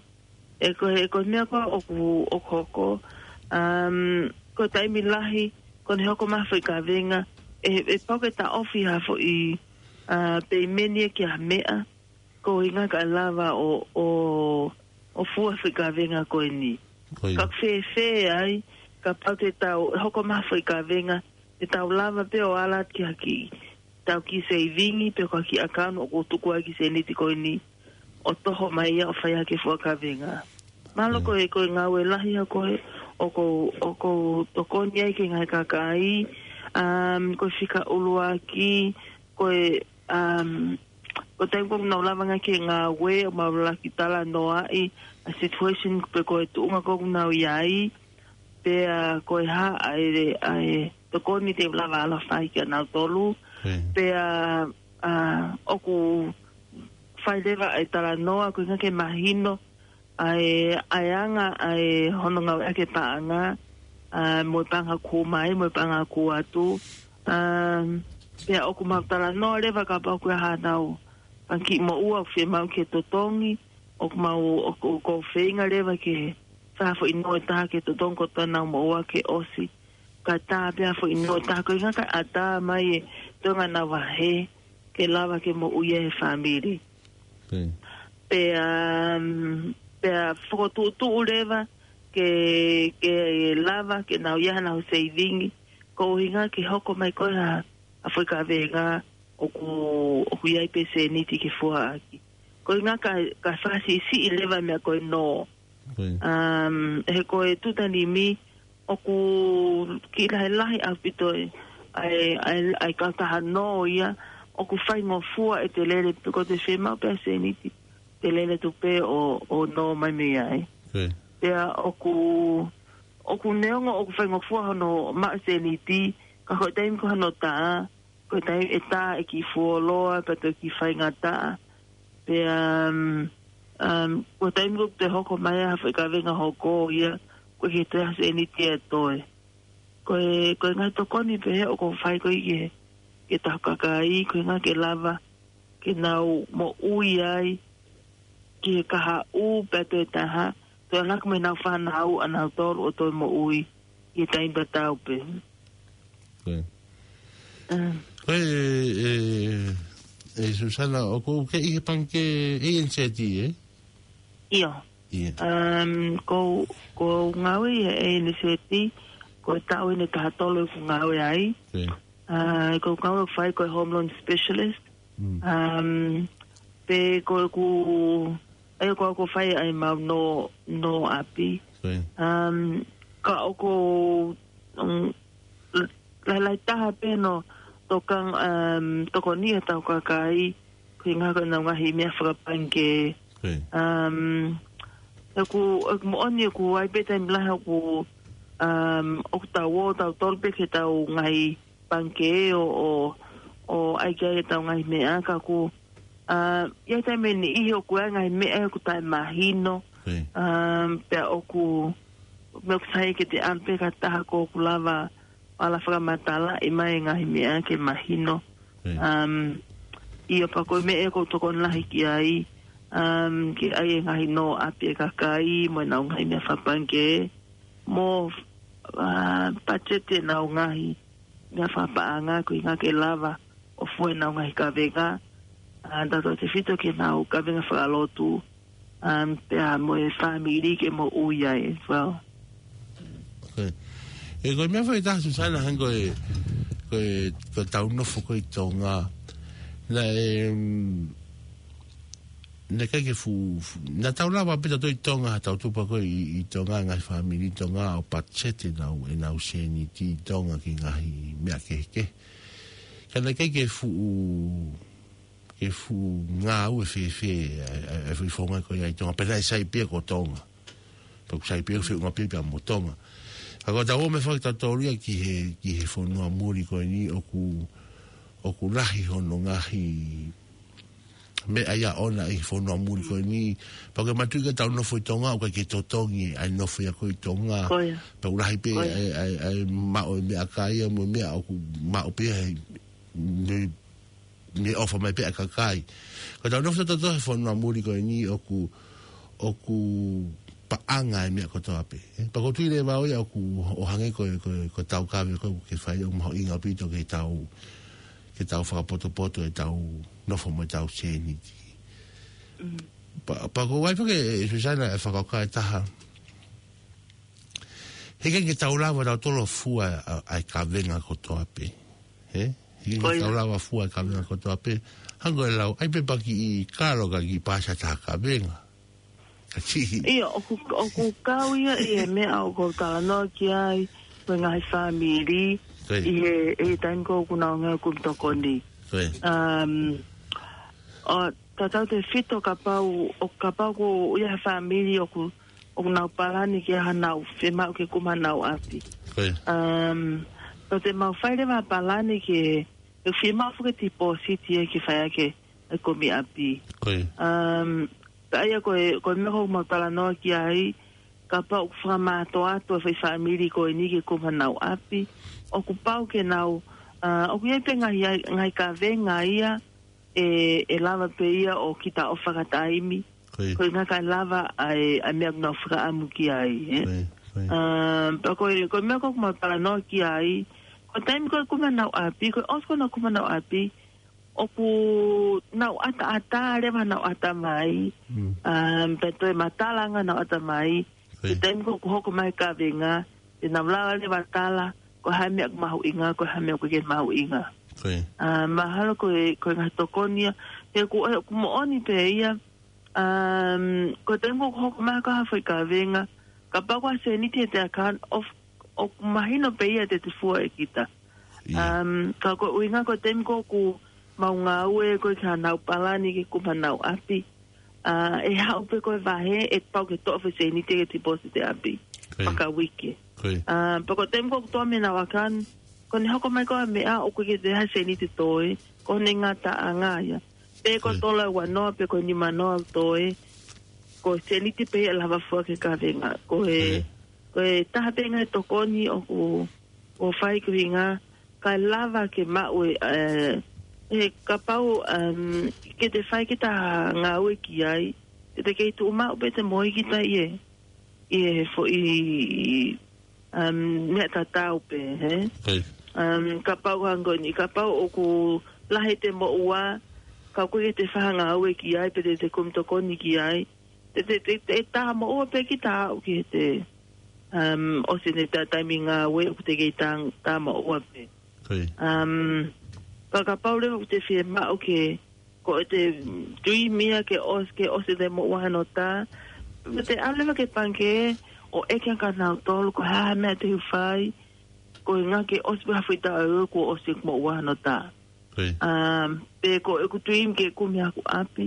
ʻE ko e, ko e meʻa ko ē ʻoku, ʻoku hoko, um, ko e taimi lahi, ko ʻene hoko mai foʻi kavenga, ʻe, ʻe pau ke taʻofi ha foʻi, uh, peimeni ia ki ha meʻa, ko e ʻuhinga ka lava ʻo, ʻo, ʻo fua foʻi kavenga ko eni. Ka fēfē ai, kapau te tau, ʻe hoko mai foʻi kavenga, te tau lava pē ʻo ala ki ha kiʻi, tau kiʻi seivingi, pe ko ha kiʻi ʻakauni ʻoku tuku ai e kiʻi sēniti ko eni, ʻo toho mai ia ʻo fai hake fua kavenga. Mahalo ko e, ko e ngāue lahi ia ko ē, ʻoku, ʻoku tokoni ai ki he ngaahi kakai, um, ko e fika ʻuluaki, ko e, um, ko e taimi ko ē ʻoku nau lava ange ki he ngāue, ʻo mau lava ke talanoaʻi ʻa e situation pe ko e tuʻunga ko ē ʻoku nau ʻi ai, pea ko e hā ʻa e, ʻa e tokoni te u lava ala fai kia nautolu, pea, uh, ʻoku fai leva ʻa e talanoa, ko e ʻuhinga ke mahino, ʻa e, ʻa e anga, ʻa e hono ngāueʻaki e paʻanga, ʻa, mo e paʻanga ʻoku mai, mo e paʻanga ʻoku atu. Um, pea ʻoku mau talanoa leva kapau ʻoku ʻi ai haʻanau, ʻa e kiʻi moʻua ʻoku fiemaʻu ke totongi, ʻoku mau, ʻoku, ʻoku feinga leva ke, fai ha foʻi nō ʻe taha ke totongi ko ʻenau moʻua ke ʻosi. Ka tā pē ha foʻi nō ʻe taha ko e ʻuhinga ka ʻatā mai e toenga ʻenau vahe, ke lava ke moʻui ʻa e fāmili. Pea, um, pea fokotuʻutuʻu leva ke, ke lava ke nau ʻi ai haʻanau seivingi, ko e ʻuhinga ke hoko mai ko ē ha, ha foʻi kavenga ʻoku, ʻoku ʻi ai pē sēniti ke fua ʻaki. Ko e ʻuhinga ka, ka fakasiʻisiʻi leva meʻa ko e nō. Um, he ko e tuʻu taimi ni, ʻoku kiʻi lahilahi ʻaupito e, ʻa e, ʻa e, ʻa e kautaha nō ia, ʻoku faingofua ʻete lele, pe ko ʻete fiemaʻu pē ha sēniti, te lele atu pē ʻo, ʻo nō mai mei ai. Pea ʻoku, ʻoku neongo ʻoku faingofua hono maʻu sēniti, ka ko e taimi ko ē hono tā, ko e taimi ʻe tā e kiʻi fuoloa, pea toe kiʻi faingataʻa. Pea, um, um, ko e taimi ko ē te hoko mai ha foʻi kavenga hoko ia, ko e ke te ase eni tia toe. Ko e, ko e ngaahi tokoni pē ʻoku fai ko ē ke, ke tau kakai, ko e ʻuhinga ke lava, ke nau moʻui ai, ki he kahaʻu pea toe taha, toe ʻalu hake mo ʻenau fānau ʻanautolu ʻo toe moʻui, ʻi he taimi tatau pē. Ko e, e, e Susana, ʻoku ke ʻi he pangikē ʻe ʻi he sēniti, ē? ʻIo. Um, ko, ko ngāue ia ʻe ʻi he sēniti, ko e taʻu eni ʻe taha tolu ʻeku ngāue ai. Uh, ko ngāue ʻoku fai ko e home loan specialist. Um, pe ko ʻeku, ʻa ia ko ʻeku fai ʻa e mau nō, nō ʻapi. Um, ka ʻoku, um, lahi, lahi taha pē hono tokang, um, tokoni ʻa e tau kakai, ko e ʻuhinga ko ʻenau ngaahi meʻa fakapangikē. Um, ʻeku, ʻeku moʻoni ʻoku ʻi ai pē taimi lahi ʻoku, um, ʻoku tau ō, tautolu pē ki he tau ngaahi pangikē ʻo, ʻo, ʻo ʻai ki ai e tau ngaahi meʻa ka ʻoku, uh, ʻi ai taimi ʻe niʻihi ʻoku ʻi ai ngaahi meʻa ʻoku taʻemahino. Um, pea ʻoku, meʻa ʻoku sai ke te ʻalu pē ki ha taha ko ʻoku lava, ala fakamatalaʻi mai e ngaahi meʻa ke mahino. Um, ʻio pea ko e meʻa ʻoku ou tokoni lahi ki ai, um, ke ʻai e ngaahi nō ʻapi e kakai, mo ʻenau ngaahi meʻa fakapangikē, mo, uh, patiseti ʻenau ngaahi meʻa fakapaʻanga, ko e ʻuhinga ke lava ʻo fua ʻenau ngaahi kavenga. ʻa tautautefito ki heʻenau kavenga fakalotu, um, pea mo e fāmili ke moʻui ai as well. Okay. E ko e meʻa foʻi ʻe taha, Susana, hangē ko e, ko e, ko ʻetau nofo ko ē ʻi Tonga. Naʻe, mm, naʻe ʻikai ke fu-, fu-, naʻa tau lava pē ʻo tau ʻi Tonga, tau tupu ko ē ʻi, ʻi Tonga, ngaahi fāmili ʻi Tonga, ʻo patiseti ʻenau, ʻenau sēniti ʻi Tonga ki he ngaahi meʻa kehekehe. Ka naʻe ʻikai ke fuʻu, ke fuʻu ngāue fēfē ʻa e, ʻa e, ʻa e foʻi founga ko ia ʻi Tonga, pea naʻe sai pē ia ko Tonga. Pea ʻoku sai pē ia ʻoku feʻunga pē ia pea mo Tonga. Ka ko ʻetau ō mai foki tautolu ia ki he, ki he fonua muli ko eni ʻoku, ʻoku lahi hono ngaahi meʻa ia ʻoʻona ʻi he fonua muli ko eni. Pea ʻoku ke manatuʻi ko ʻetau nofo ʻi Tonga, ʻoku ʻikai ke totongi ʻa e nofo ia ko ē ʻi Tonga. Ko ia. Pea ʻoku lahi pē Ko ia. ʻa e, ʻa e, ʻa e maʻu e meʻakai ia mo e meʻa ʻoku maʻu pē ia he, ne, ne ʻofa mai pē ʻa e kakai. Ko ʻetau nofo tautolu he fonua muli ko eni ʻoku, ʻoku paʻanga e meʻa kotoa pē. Eh, pea ʻoku ou tui leva au ia ʻoku, ʻo hangē ko e, ko e, ko e taukave ko ē ʻoku ke fai ʻoku mahuʻinga ʻaupito ke tau, ke tau fakapotopoto ʻetau nofo mo ʻetau sēniti. Mm. Pea, pea ʻoku ou ʻai foki ʻe Susana e fakakaukau ʻe taha. He ʻikai ke tau lava tautolu ʻo fua ʻa, ʻa e kavenga kotoa pē. He? He ʻikai Ko ke ia. tau lava fua e kavenga kotoa pē. Hangē ko e lau, ʻai pē paki ʻi kalo ka ki pasa ta kavenga. Ka kiʻi. ʻIo, ʻoku, ʻoku kau ia ʻi he meʻa ʻoku ou talanoa ki ai, ko e ngaahi fāmili, Ko ia. ʻi he, ʻi he taimi ko ē ʻoku nau ngāue kumi tokoni. Ko ia. Um, ʻo tautautefito kapau, ʻo kapau ko ia he fāmili ʻoku, ʻoku nau palani ke ʻai haʻanau fiemaʻu ke kumi haʻanau ʻapi. Ko ia. Um, ʻoku te mau fai leva palani ke, ke fiemaʻu foki e tipōsiti ia ke fai ʻaki e kumi ʻapi. Ko ia. Um, ka ʻa ia ko e, ko e meʻa ʻoku mau talanoa ki ai, kapau ʻoku fakamātoato e foʻi fāmili ko eni ke kumi haʻanau ʻapi, ʻoku pau ke nau, uh, ʻoku ʻi ai pē ngaahi, ngaahi kavenga ia, ʻe, ʻe lava pē ia ʻo kita ʻo fakataimi. Ko ia. Ko e ʻuhinga kae lava ʻa e, ʻa e meʻa ʻoku nau fakaʻamu ki ai, eh? Ko ia, ko ia. Um, pea ko e, ko e meʻa ko ē ʻoku mau talanoa ki ai, ko e taimi ko ē ʻoku kumi haʻanau ʻapi, ko e ʻosi ko ē ʻenau kumi haʻanau ʻapi, ʻoku nau ʻataʻatā leva ʻenau ʻatamai, Mm. um, pea toe matala ange ʻenau ʻatamai, Ko ia. He taimi ko ē ʻoku hoko mai e kavenga, te nau lava leva ʻo tala, ko e hā e meʻa ʻoku mahuʻinga, ko e hā e meʻa ʻoku ʻikai ke mahuʻinga. Ko ia. Ah, mahalo ko e, ko e ngaahi tokoni ia, he ʻoku, ʻoku moʻoni pē ia, um, ko e taimi ko ē ʻoku hoko mai ko ē ha foʻi kavenga, kapau ko ha sēniti ʻi heʻete account, ʻoku, ʻoku mahino pē ia te te fua ʻe kita. Ia. Um, ka ko e ʻuhinga ko e taimi ko ē ʻoku mau ngāue ko ē ki haʻanau palani ke kumi haʻanau ʻapi. Ah, ʻe haʻu pē ko e vahe, ʻe pau ke toʻo e foʻi sēniti ke tipōsiti e ʻapi. Ko ia. Fakauike. Ko ia. Ah, pea ko e taimi ko ē ʻoku toʻo mei heʻenau account, ko ʻene hoko mai ko ē ha meʻa ʻoku ʻikai ke toe ʻi ai ha sēniti toe, ko ʻene ngataʻanga ia. Pe ko Ko ia. e tola ua noa, pe ko e nima noa toe, ko e sēniti pē ia ʻe lava fua ki he kavenga. Ko e, Ko ia. ko e taha pē ngaahi tokoni ʻoku, ʻoku fai ko e ʻuhinga, kae lava ke maʻu e, eh, he kapau, um, ke te fai kita ha ngāue ki ai, te te kei tuʻu maʻu pē ʻete moʻui kita ʻi he, ʻi he foʻi, um, meʻa tatau pē, he? Ko ia. Um, kapau hangē ko eni, kapau ʻoku lahi ʻete moʻua, ka ʻoku ʻikai ke te fai ha ngāue ki ai, pe te te kumi tokoni ki ai, te, te, te, te tā moʻua pē kita ʻo aʻu ki heʻete, um, ʻosi ʻene tā taimi ngāue ʻoku te kei tā, tā moʻua pē. Ko ia. Um, ka kapau leva ʻoku te fiemaʻu ke, ko ʻete dream ia ke ʻos-, ke ʻosi ʻete moʻua hono tā, te ʻalu leva ki he pangikē ʻo ʻeke ange kia nautolu ko e hā e meʻa te u fai, ko e ʻuhinga ke ʻosi pē ha foʻi taʻu ʻe ua kuo ʻosi ʻeku moʻua hono tā. Ko ia. Um, pe ko ʻeku dream ke kumi haʻaku ʻapi,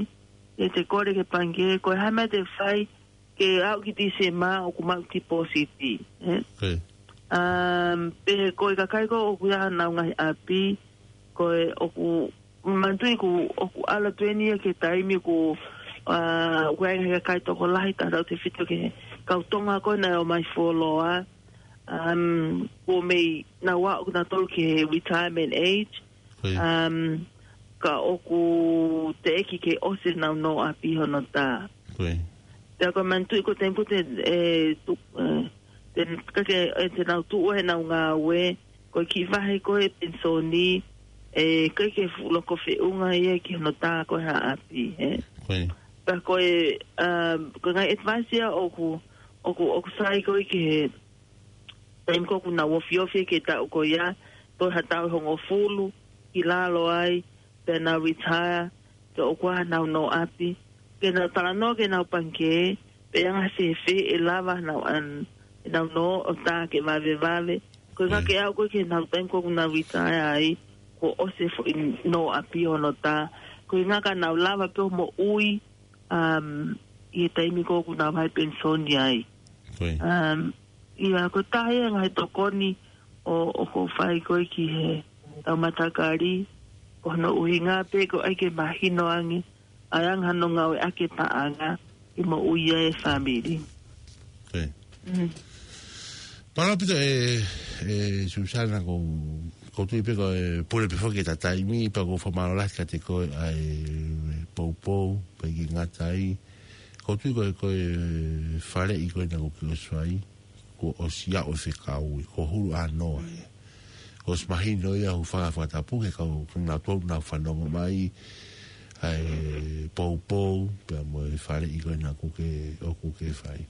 te te kole ki he pangikē, ko e hā e meʻa te u fai, ke aʻu ki Tīsema ʻoku maʻu tipōsiti, eh? Ko ia. Um, pe ko e kakai ko ē ʻoku ʻi ai haʻanau ngaahi ʻapi, ko e ʻoku, manatuʻi ʻoku, ʻoku ʻalu atu eni ia ki he taimi ʻoku, ah, ʻoku ʻi ai e ngaahi kakai tokolahi tautautefito ki he kau Tonga ko ē naʻe ō mai fuoloa, um, kuo mei nau aʻu nautolu ki he retirement age, Ko ia. Um, ka ʻoku teʻeki ke ʻosi ʻenau nō ʻapi hono tā. Ko ia. Pea ko e manatuʻi ko e taimi ko ē te, e, tu-, e, te, ka ke, e, te nau tuʻu ai ʻenau ngāue, ko e kiʻi vahe ko ē penisoni, ʻE, ʻikai ke fuʻu loko feʻunga ia ki hono tā ko ē ha ʻapi, ē. Ko ē. Pea ko e, um, ko e ngaahi advice ia ʻoku, ʻoku, ʻoku sai ko ē ki he taimi ko ē ʻoku nau ofiofi ki he taʻu ko ia, toe ha taʻu ʻe hongofulu ki lalo ai, pea nau retire, pea ʻoku ʻi ai hanau nō ʻapi, ke nau talanoa ki heʻenau pangikē, pe ʻe anga fēfē ʻe lava hanau an, ʻenau nō ʻo tā ke vavevave. Ko e ngā Mm. ke aʻu ko ē ki heʻenau taimi ko ē ʻoku nau retire ai, kuo ʻosi e foʻi nō ʻapi hono tā. Ko e ngā ka nau lava pē ʻo moʻui, um, ʻi he taimi ko ē ʻoku nau vahe penisoni ai. Ko ē. Um, ʻIa, ko e taha ia e ngaahi tokoni ʻo, ʻoku ou fai ko ē ki he tau matakali, ko hono ʻuhinga pē ko e ʻai ke mahino ange, ʻa e anga hono ngāueʻaki e paʻanga, ʻi he moʻui ʻa e fāmili. Ko ē. Mm. Mālō ʻaupito ē, ē Susana, ʻoku, ʻoku ou tui pē ko e pule pē foki ʻeta taimi, pea ʻoku ou fakamālō lahi kiate koe ʻa e poupou, pea ʻikai ngata ai. ʻOku ou tui ko e, ko e faleʻi ko ē naʻa ke ʻosi fai, kuo ʻosi aʻu e fekau, kuo hulu ʻa noa ē. Kuo ʻosi mahino ia ʻoku faka-, fakatapu ki he kau, kinautolu naʻa nau fanongo mai, ʻa e poupou, pea mo e faleʻi ko ē naʻa ke, ʻoku ke fai.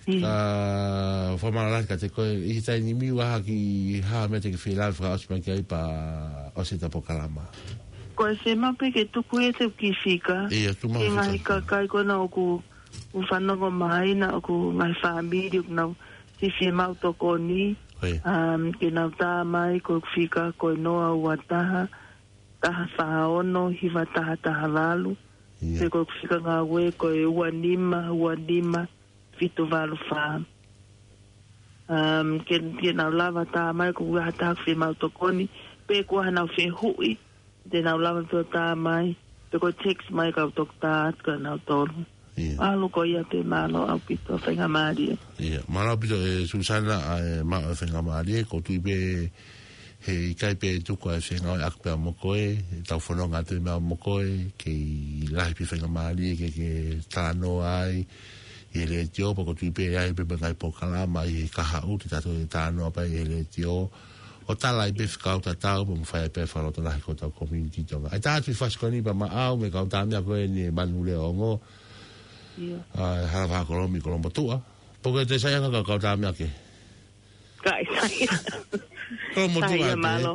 Mm. Ka fakamālō lahi kiate koe, ʻi he taimi ni ʻoku ʻi ai ha kiʻi meʻa te ke fie lave fakaʻosi mai ki ai pea ʻosi ʻeta polokalama. Ko e fiemaʻu pē ke tuku ʻe te kiʻi fika. ʻIa, tuku mai ki he ngaahi fika. Kakai ko ena ʻoku, ʻoku fanongo mai, naʻa ʻoku ngaahi fāmili ʻoku nau siʻi fiemaʻu tokoni. ʻIa. Um, ke nau tā mai, ko e fika ko e noa ua taha, taha fā ono, hiva taha taha valu. ʻIa. Pe ko e fika ngāue, ko e ua nima, ua nima, fitu valu fā. Um, ke, ke nau lava tā mai, ko e ʻi ai ha taha ʻoku fiemaʻu tokoni, pe ko ha nau fehuʻi, te nau lava pē ʻo tā mai, pe ko e text mai kau toki tā atu kia nautolu. ʻIa. ʻAlu ko ia pē, mālō ʻaupito, faingamālie. ʻIa, mālō ʻaupito ē Susana, ʻa e maʻu e faingamālie, ʻoku ou tui pē he ʻikai pē tuku ʻa e fengāueʻaki pea mo koe, ʻetau fononga atu meʻa mo koe, kei lahi pē faingamālie ke, ke talanoa ai ʻi he letiō, pea ʻoku ou tui pē ʻe ʻi ai pē ngaahi polokalama ʻi he kahaʻu, te tau toe talanoa pē ʻi he letiō. ʻO tala ai pē fekau tatau, pea mo fai pē fakalotolahi ki hotau community Tonga. ʻAi tā atu e fasi ko eni pea maʻau, mei he kau tamaiki ko eni ʻe Manu Leongo. ʻIa. ʻA, Hala Fakakolomi Kolomotuʻa. Pea ʻoku ke toe saiʻia ange kau, kau tamaiki. Kai, sai. Kolomotuʻa Sai, ia, ē. Mālō.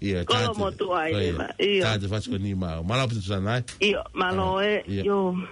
ʻIa, tā atu. Kolomotuʻa ʻIa. Leva. ʻIa. Tā atu e fasi ko eni maʻau. Mālō ʻaupito Susana ē. ʻIa, mālō ʻAi, ē. ʻIa. ʻIa.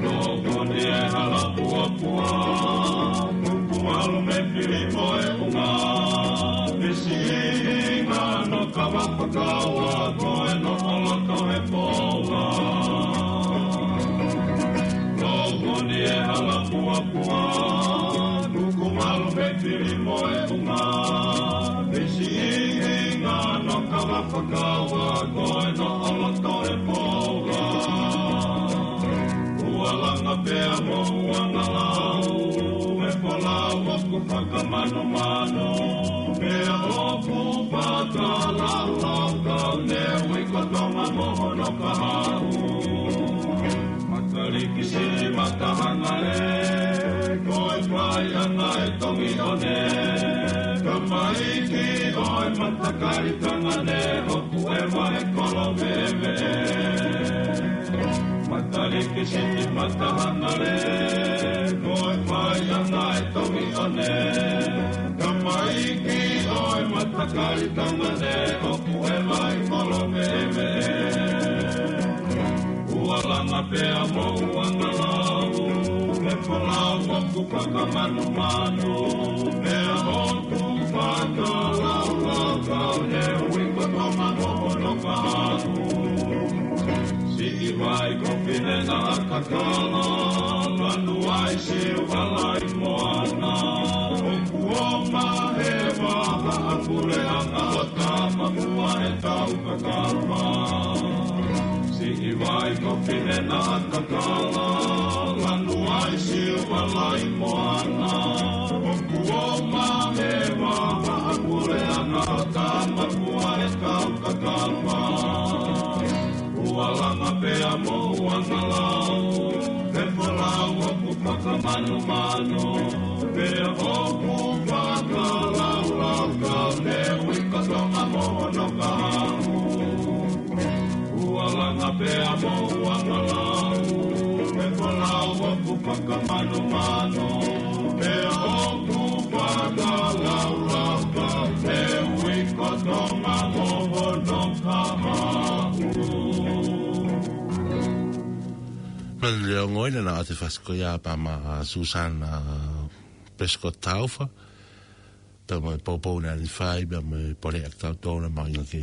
Nō koni e hala puapua, kuku ʻalu mei fili mo e ʻunga, misi ʻi ngā no kava fakaua, ko e noʻo loto he poua. Nō koni e hala puapua, kuku ʻalu mei fili mo e ʻunga, misi ʻi ngā no kava fakaua, ko e noʻo loto he poua. Ua langa pea mo ua ngalau, e folau ʻoku fakamanumanu, pea ʻoku fakalaulau kau ne ui ko Tonga mo hono kahaʻu. Makaliki siʻi matahangale, ko e fai anga e tongi one, kamaiki ʻo e matakali tangane, ʻoku ʻeva he kolo veve. Makaliki siʻi matahangale, ko e fai anga e tongi one, kamaiki ʻo e matakali tangane, ʻoku ʻeva he kolo veve. Ua langa pea mo ua ngalau, e folau ʻoku fakamanumanu, pea ʻoku fakalaulau kau ne ui ko Tonga mo hono kahaʻu. Siʻi Vai ko Pine Naʻa Kakala, lanu ai Siuala ʻi Moana. ʻOku ʻomai ʻe he vahaʻapuleʻanga ʻo Tamapua ʻetau kakala. Siʻi vai ko Pine Naʻa Kakala, lanu ai Siuala ʻi Moana. ʻOku ʻomai ʻe he vahaʻapuleʻanga ʻo Tamapua ʻetau kakala. Ua langa pea mo ua ngalau, he folau ʻoku fakamanumanu, pea ʻoku fakalaulauka, he ui ko Tonga mo hono kahaʻu. Ua langa pea mo ua ngalau, he folau ʻoku fakamanumanu, pea ʻoku fakalaulauka, he ui ko Tonga mo hono kahaʻu. Manu Leongo ina na ate fasiko ia pea mo Susana Prescott Taufa. Pea mo e poupou naʻa ne fai, pea mo e pole ʻa kitautolu na maʻu ʻi he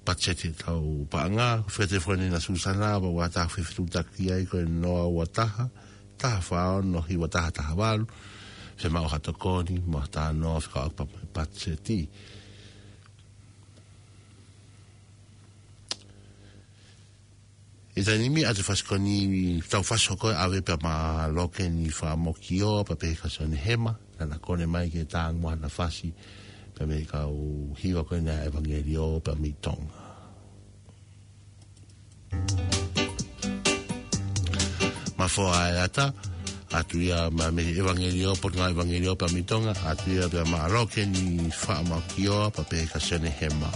patiseti ʻetau paʻanga. Fete fua ni na Susana, pea ua taha fefetuʻutaki ai ko e noa ua taha, taha fā ono, hiva taha taha valu. Femaʻu ha tokoni, mo ha talanoa, fekauʻaki pea mo e patiseti. ʻI he taimi ni ʻa e fasi ko eni, tau fasi hoko ʻave pea mo Loke ni Fakamokioa, pea pehē kia Sione Hema, naʻa na kole mai ke tangutu ʻa e fasi, pea mei he kau hiva ko ena ʻEvangelio pea mei Tonga. Mafoa e ata, ʻa Tuia mei he ʻEvangelio, Potungāue ʻEvangelio pea mei Tonga, ʻa Tuia pea mo Loke ni Fakamokioa, pea pehē kia Sione Hema.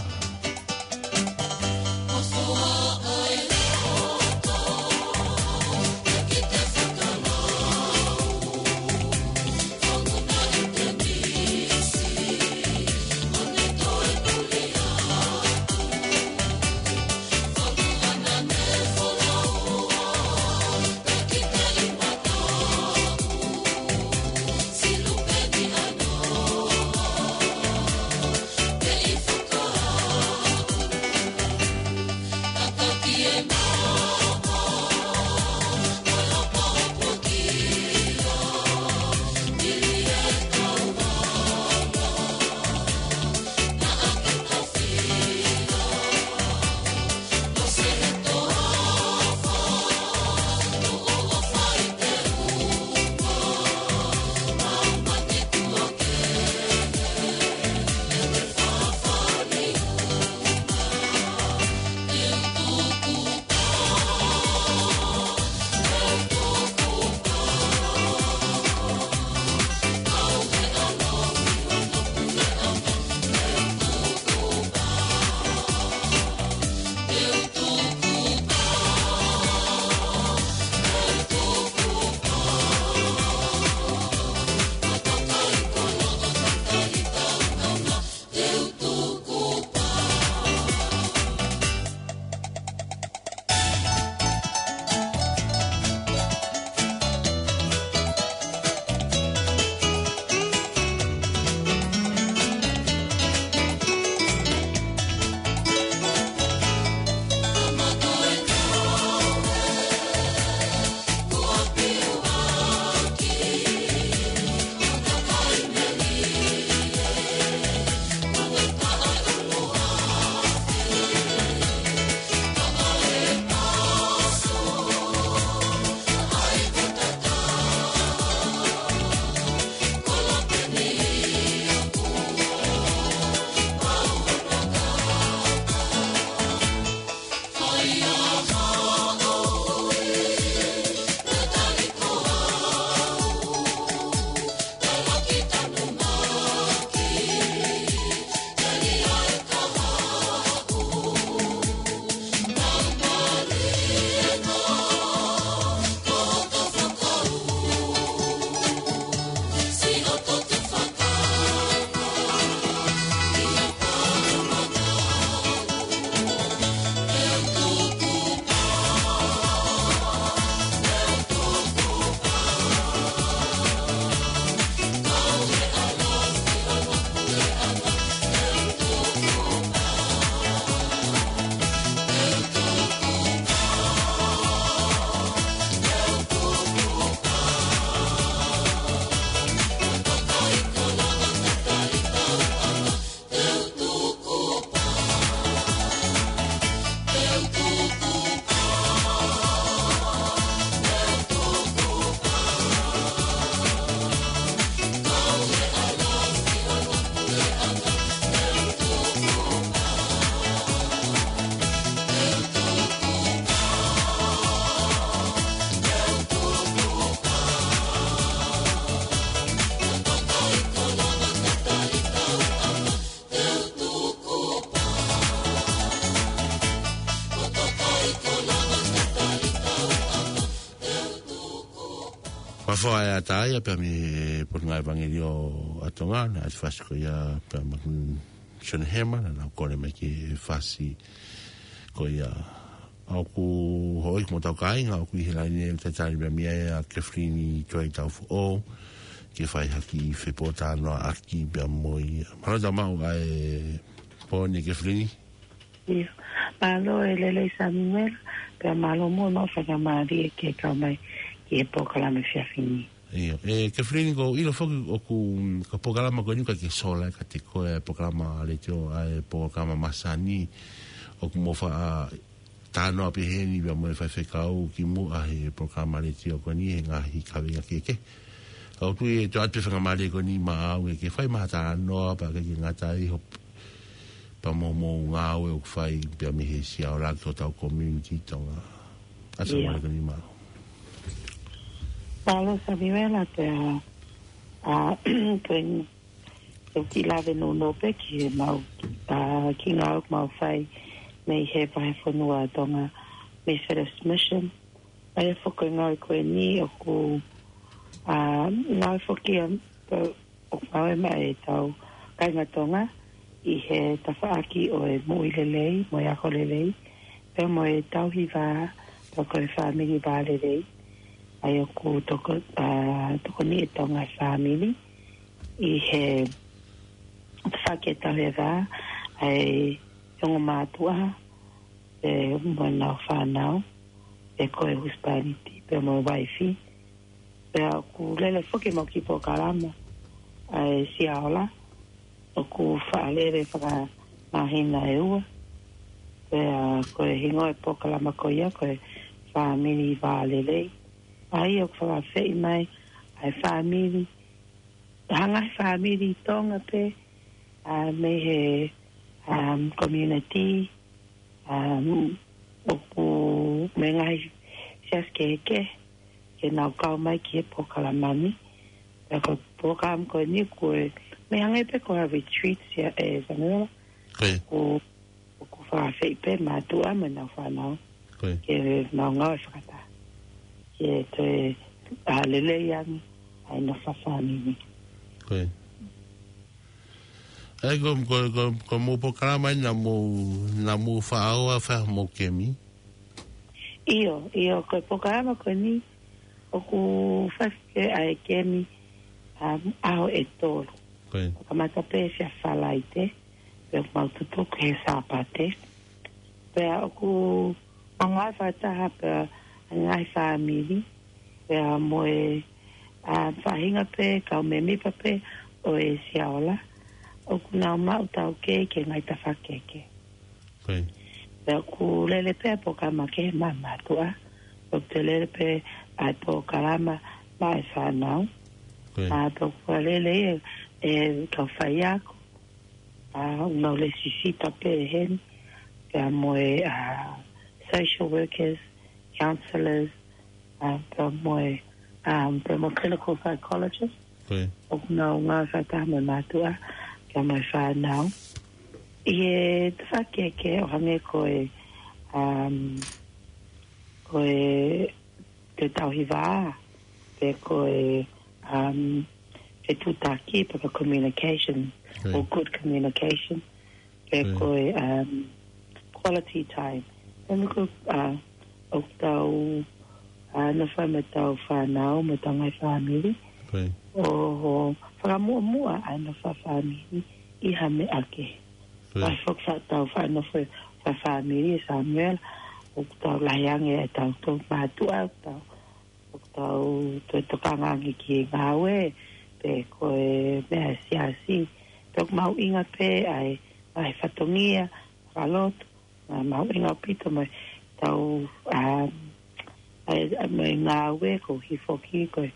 Fakaʻatā ia pea mei he Potungāue Evangelio ʻa Tonga, naʻe ʻasi e fasi ko ia pea mo Sione Hema, naʻa nau kole mai ke fasi ko ia. ʻOku hoko ʻi he motu kāinga, ʻoku ʻi he laine ʻo e talitali pea mei ai ʻa Kathleen Tuaitaufoʻou, ke fai ha kiʻi fepōtalanoaʻaki pea mo ia. Mālō e tau maʻu ʻa e pō ni Kathleen. ʻIo. Mālō e lelei Samuela, pea mālō muʻa e maʻu faingamālie ke kau mai ki he polokalama efiafi ni. ʻIo. ʻE, Kathleen, ʻoku ou ʻilo foki ʻoku, ko e polokalama ko eni ʻoku ʻikai ke sola ʻiate koe e polokalama letiō, ʻa e polokalama masani, ʻoku mou faʻa talanoa pē heni pea mo e faifekau kimuʻa he polokalama letiō ko eni he ngaahi kaveinga kehekehe. Ka ʻoku ou tui ʻe toe ʻoatu e faingamālie ko eni maʻau ke, ke fai mai ha talanoa pea ʻikai ke ngata ai hoʻo pea mo hoʻomou ngāue ʻoku fai pea mei he Siaola ki hotau community Tonga. ʻA e faingamālie ko eni maʻau. Mālō Samuela, pea, ʻa, ko eni, ʻoku ou kiʻi lave nounou pē ki he maʻu, ʻa, kiʻi ngāue ʻoku mau fai mei he vahefonua Tonga mei First Mission. ʻA ia foki ko e ngāue ko eni ʻoku, ʻa, ngāue foki ʻa, ʻoku ngāue mai ʻetau kāinga Tonga ʻi he tafaʻaki ʻo e moʻui lelei, mo e ako lelei, pea mo e tauhi vā, pea ko e fāmili vā lelei. ʻA ia ʻoku toko, ʻa, tokoni ʻe Tonga e fāmili ʻi he tafaʻaki e tauhi e vā, ʻa e ongo mātuʻa, pea mo ʻenau fānau, pea ko e husepāniti, pea mo e uaifi. Pea ʻoku lele foki ʻemau kiʻi polokalama, ʻa e Siaola, ʻoku faʻa lele fakamāhina ʻe ua. Pea ko e hingoa e polokalama ko ia, ko e Fāmili Vā Lelei. ʻA ia ʻoku fakaafeʻi mai ʻa e fāmili, ha ngaahi fāmili Tonga pē, ʻa, mei he, um, community, um, ʻoku mei he ngaahi siasi kehekehe, ke nau kau mai ki he polokalama ni. Pea ko e polokalama ko eni ʻoku, mei hangē pē ko ha retreat ia, ʻe Samuela. Ko ia. ʻOku, ʻoku fakaafeʻi pē mātuʻa mo ʻenau fānau. Ko ia. Ke nau ngāue fakataha. Ke toe, ʻa, lelei ange ʻa e nofo fakafāmili. Ko ia. ʻA ia ko, ko, ko, ko hoʻomou polokalama eni naʻa mou, naʻa mou faʻa ō ʻo fai hoʻomou kemi? ʻIo, ʻio, ko e polokalama ko eni ʻoku fai foki ʻa e kemi, um, ʻaho ʻe tolu. Ko ia. Kamata pē Siaola Falaite, pea mau tutuku he Sāpate. Pea ʻoku ngāue fakataha pea ngaahi fāmili, pea mo e, ʻa, faʻahinga pē, kau mēmipa pē ʻo e Siaola, ʻoku nau maʻu taukei ki he ngaahi tafaʻaki kehekehe. Ko ia. Pea ʻoku lele pē ʻa e polokalama ki he mā-, mātuʻa, ʻoku toe lele pē ʻa e polokalama maʻa e fānau. Ko ia. ʻA, pea ʻoku lele ʻe, ʻe kau faiako, ʻa, ʻoku nau lēsisita pē heni, pea mo e, ʻa, social workers, counsellors, ʻa, pea mo e, um, pea mo e clinical psychologist. Ko ia. ʻOku nau ngāue fakataha mo e mātuʻa, pea mo e fānau. ʻI he tafaʻaki kehekehe ʻo hangē ko e, um, ko e, ko e tauhi vā, pe ko e, um, fetuʻutaki, pe ko e communication, Ko ia. or good communication. Pe Ko ia. ko e, um, quality time. Pea mo e ko, uh, ʻoku tau, uh, nofo mo ʻetau fānau, mo ʻetau ngaahi fāmili. Ko ia. ʻO, ʻo fakamuʻomuʻa ʻa e nofo fakafāmili ʻi ha meʻa kehe. Ko ia. ʻOku ʻi ai foki ʻetau faʻa nofo fakafāmili, Samuela, ʻoku tau lahi ange ʻetau toʻu mātuʻa, ʻoku tau ʻoku tau toe tokanga ange ki he ngāue, pe ko e meʻa siasi. Pea ʻoku mahuʻinga pē ʻa e, ʻa e fatongia, fakalotu, ʻa, mahuʻinga ʻaupito mo ʻetau, um, ʻa e, ʻa e mo e ngāue, koeʻuhi foki ko e,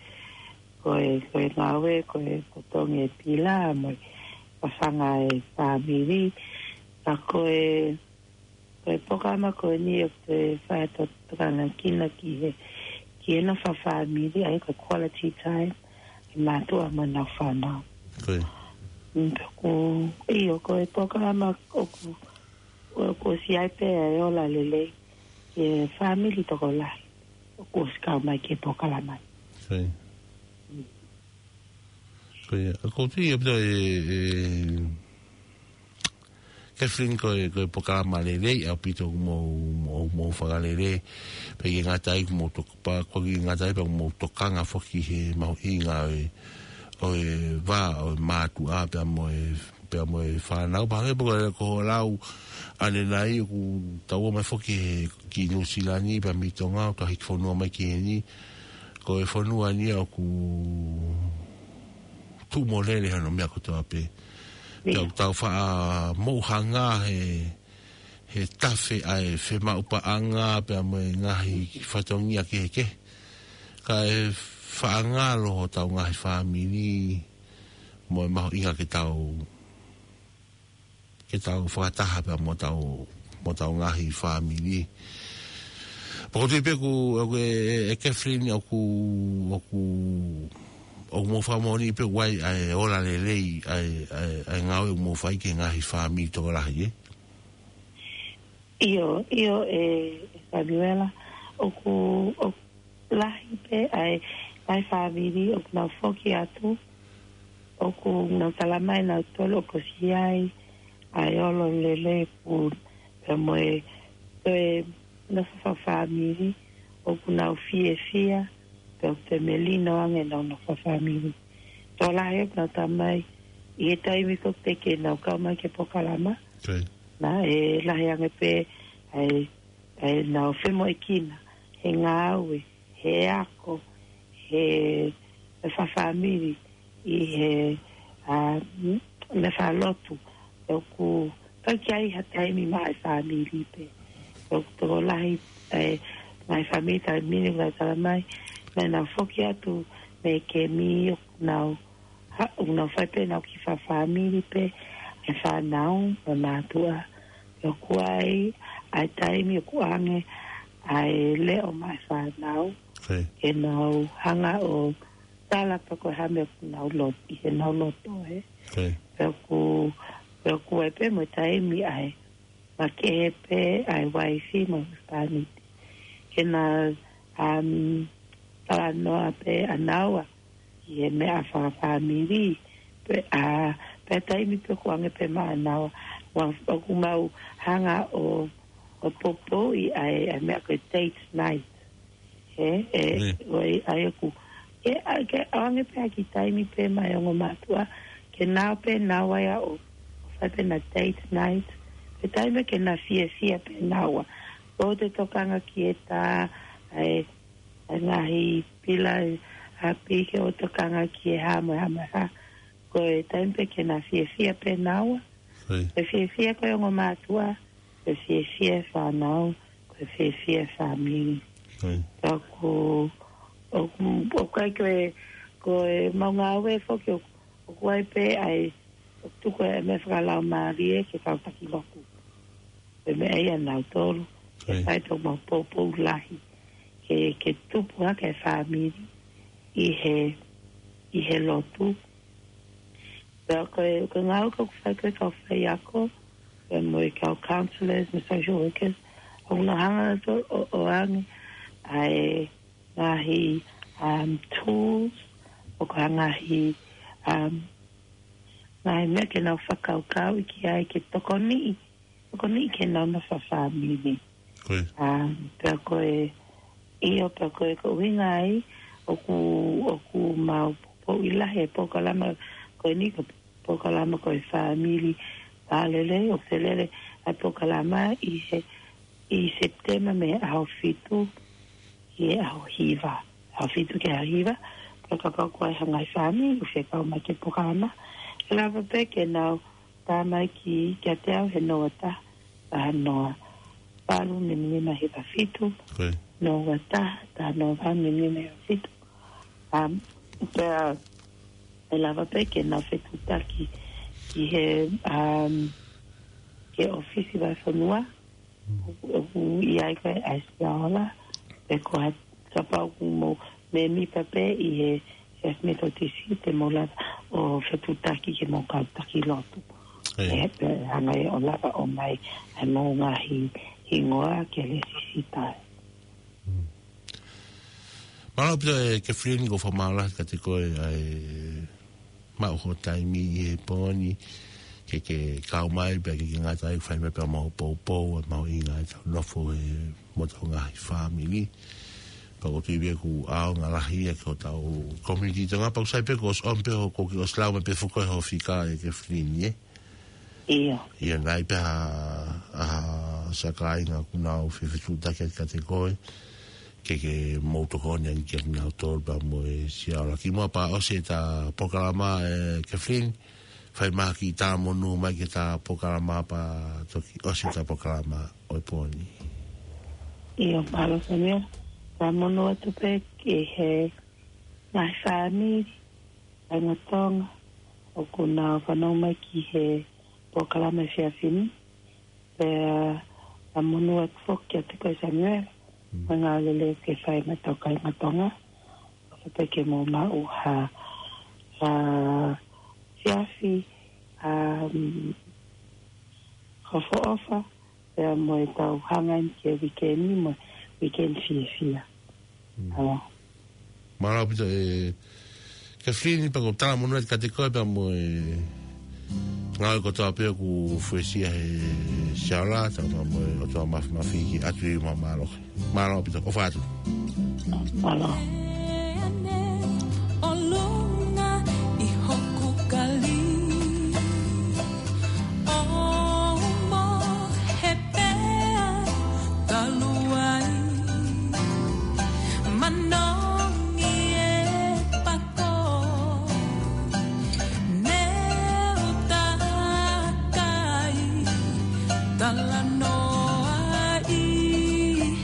ko e, ko e ngāue, ko e, ko e tongi e pila, mo e fafanga e fāmili, ka ko e, Ko e polokalama ko eni ʻoku te fai atu ʻa e tokanga kina ki he, ki he nofo fakafāmili, ʻa ia ko e quality time, ʻa e mātuʻa mo ʻenau fānau. Ko ia. Mm, pea ʻoku, ʻio, ko e polokalama ʻoku, ʻoku ʻosi ʻi ai pē ʻa e ola lelei ki he fāmili tokolahi ʻoku ʻosi kau mai ki he polokalama. Ko ia. Ko ia, ko tu ia pito e, e, Kathleen, ko e, ko e polokalama lelei ʻaupito ʻoku mou, mou, mou fakalele. Pea ʻikai ngata ai ʻoku mou tok-, pea ʻikai ngata ai pea ʻoku mou tokanga foki he mahuʻinga ʻo e, ʻo e vā, ʻo e mātuʻa pea mo e, pea mo e fānau. Pea hangē pē ko e, ko e lau ʻanenai ʻoku tau ō mai foki he ki Nuʻusila ni pea mei Tonga, ʻo tau hiki fonua mai ki heni. Ko e fonua ni ʻoku tuʻu mo lele hono meʻa kotoa pē. Pea ʻoku tau faʻa mou hanga he, he tafe ʻa e femaʻu paʻanga pea mo e ngaahi fatongia kehekehe. Kae faʻa ngalo hotau ngaahi fāmili mo e mahuʻinga ke tau, ke tau fakataha pea mo hotau, mo hotau ngaahi fāmili. Pea ko tu pē ʻoku, ʻoku e, e, e Kathleen ʻoku, ʻoku, ʻoku mou fakamoʻoni pē ʻoku ʻi ai ʻa e ola lelei, ʻa e, ʻa e, ʻa e ngāue ʻoku mou fai ki he ngaahi fāmili tokolahi, ē? ʻIo, ʻio, e, e Samuela, ʻoku, ʻoku lahi pē ʻa e, ʻa e fāmili ʻoku nau foki atu, ʻoku nau talamai ʻe nautolu ʻoku ʻosi ʻi ai ʻa e ola lelei pea mo e, e nofo fakafāmili, ʻoku nau fiefia, pea ʻoku toe melino ange ʻenau nofo fakafāmili. Tokolahi ʻoku nau talamai, ʻi he taimi ko ē ke nau kau mai ki he polokalama, naʻe lahi ange pē ʻa e, ʻa ʻenau femoʻuekina he ngāue, he ako, he, he fakafāmili, ʻi he, a, m-, meʻa fakalotu, ʻoku ʻikai ke ʻi ai ha taimi maʻa e fāmili pē. ʻOku tokolahi, e, maʻa e fāmili taimi ni ʻoku nau talamai, naʻa nau foki atu mei he kemi ʻoku nau ha, ʻoku nau fai pē ʻenau kiʻi fakafāmili pē, e fānau, mo e mātuʻa. ʻOku ʻi ai ʻa e taimi ʻoku ʻange ʻa e leʻo maʻa e fānau, ke nau hanga ʻo tala pe ko e hā e meʻa ʻoku nau loto, ʻi heʻenau loto, ē. Pea ʻoku, pea ʻoku ʻi ai pē mo e taimi ʻa e makehe pē ʻa e uaifi mo e husepāniti. Ke na, um, talanoa pē ʻa naua ʻi he meʻa fakafāmili. Pea, a, pea taimi pē ʻoku ʻange pē maʻa naua, ʻoku mau hanga ʻo, ʻo poupouʻi ʻa e, ʻa e meʻa ko e date night. He, e, ʻo e, ʻa ia ʻoku, ke, ʻa, ke ʻange pē ha kiʻi taimi pē maʻa e ongo mātuʻa, ke nau pē naua ia ʻo, ʻo fai pē ʻena date night, pe taimi ke na fiefia pē naua. ʻOua te tokanga ki he tā, ʻa e, ʻa e ngaahi pila, ʻa e piki, ʻoua te tokanga ki he hā mo e hā mo e hā. Ko e taimi pē ke na fiefia pē naua. Ko e fiefia ko e ongo mātuʻa, ko e fiefia e fānau, ko e fiefia e fāmili. Pea ʻoku, ʻoku, ʻoku ʻikai ko e, ko e mau ngāue foki ʻoku, ʻoku ʻi ai pē ʻa e, ʻoku tuku e meʻa fakalaumālie ke kau taki lotu. Ko e meʻa ia ʻa nautolu, ke fai ʻemau poupou lahi, ke, ke tupu hake e fāmili ʻi he, ʻi he lotu. Pea ko e, ko e ngāue ʻoku fai ko ē ʻe he kau faiako, pea mo e kau counselors, mo e social workers, ʻoku nau hanga atu ʻo, ʻo ʻoange ʻa e ngaahi, um, tools, ʻo ka ngaahi, um, ngaahi meʻa ke nau fakakaukauʻi ki ai ke tokoniʻi, tokoniʻi ke nau nofo fakafāmili. Um, pea ko e, ʻio, pea ko e, ko e ʻuhinga ia ʻoku, ʻoku mau poupouʻi lahi e polokalama ko eni, ko e polokalama ko e Fāmili Vā Lelei, ʻoku lele ʻa e polokalama ʻi he, ʻi Sepitema mei he ʻaho fitu ki he ʻaho hiva. ʻAho fitu ki he ʻaho hiva, pea kapau ʻoku ʻi ai ha ngaahi fāmili ʻoku fie kau mai ki he polokalama, ʻe lava pē ke nau tā mai ki, kiate au he noa taha, taha noa valu, nima nima hiva fitu, noa taha, taha noa valu, nima nima hiva fitu. Um, pea ʻe lava pē ke nau fetuʻutaki ki he, um, ki he ʻōfisi vahefonua, ʻoku, ʻoku ʻi ai ko ē ʻa e Siaola, pe ko ha, kapau ʻoku mou mēmipa pē ʻi he First Methodist, te mou lava ʻo fetuʻutaki ke mou kau taki lotu. ʻE, pea hanga ʻe ia ʻo lava ʻo ʻomai ʻa e mou ngaahi hingoa ke lēsisita. Mālō ʻaupito ʻe Kathleen, ʻoku ou fakamālō lahi kiate koe ʻa e maʻu ho taimi ʻi he pō ni, ke ke kau mai pea ke ke ngata ai fai mai pea mo e poupou, ʻa e mahuʻinga ʻetau nofo he mo ʻetau ngaahi fāmili. Pea ʻoku ou tui pē ʻoku ʻaonga lahi ia ki hotau community Tonga, pea ʻoku sai pē kuo ʻosi ʻomi pē hoʻo, kuo ke ʻosi lau mai pē foki hoʻo fika ē Kefilini, ē? ʻIo. ʻIo, naʻe ʻi ai pē ha, ha siʻa kāinga ʻoku nau fefetuʻutaki atu kiate koe, ke ke mou tokoni ange kia kinautolu pea mo e siaola. Kimuʻa pea ʻosi ʻeta polokalama ē Kefilini, fai mai ha kiʻi talamonū mai ki heʻeta polokalama pea toki ʻosi ʻeta polokalama ʻo e pō ni. ʻIo, mālō Samuela, talamonū atu pē ki he ngaahi fāmili, kāinga Tonga, ʻoku nau fanongo mai ki he polokalama he efiafi ni. Pea, ʻa, monū atu foki kiate koe Samuela, Mm. mo e ngāue lelei ʻoku ke fai maʻa hotau kāinga Tonga. ʻOfa pē ke mou maʻu ha, ha efiafi, um, ʻofa ʻofa, pea mo ʻetau hanga eni ki he weekend ni mo e weekend fiefia. Mm. ʻAlā. Mālō ʻaupito ē Kefilini, pea ʻoku ou talamonū atu kiate koe pea mo e ngāue kotoa pē ʻoku fuesia he siaola, pea mo e ʻOtua Māfimafi ke ʻoatu ʻi māmālohi. Mālō ʻaupito, ʻofa atu. Mālō. ʻOlunga ʻi hoku kali. ʻO mo he pea talu ai. Manongi e pako. Neu takai. Talanoa ʻi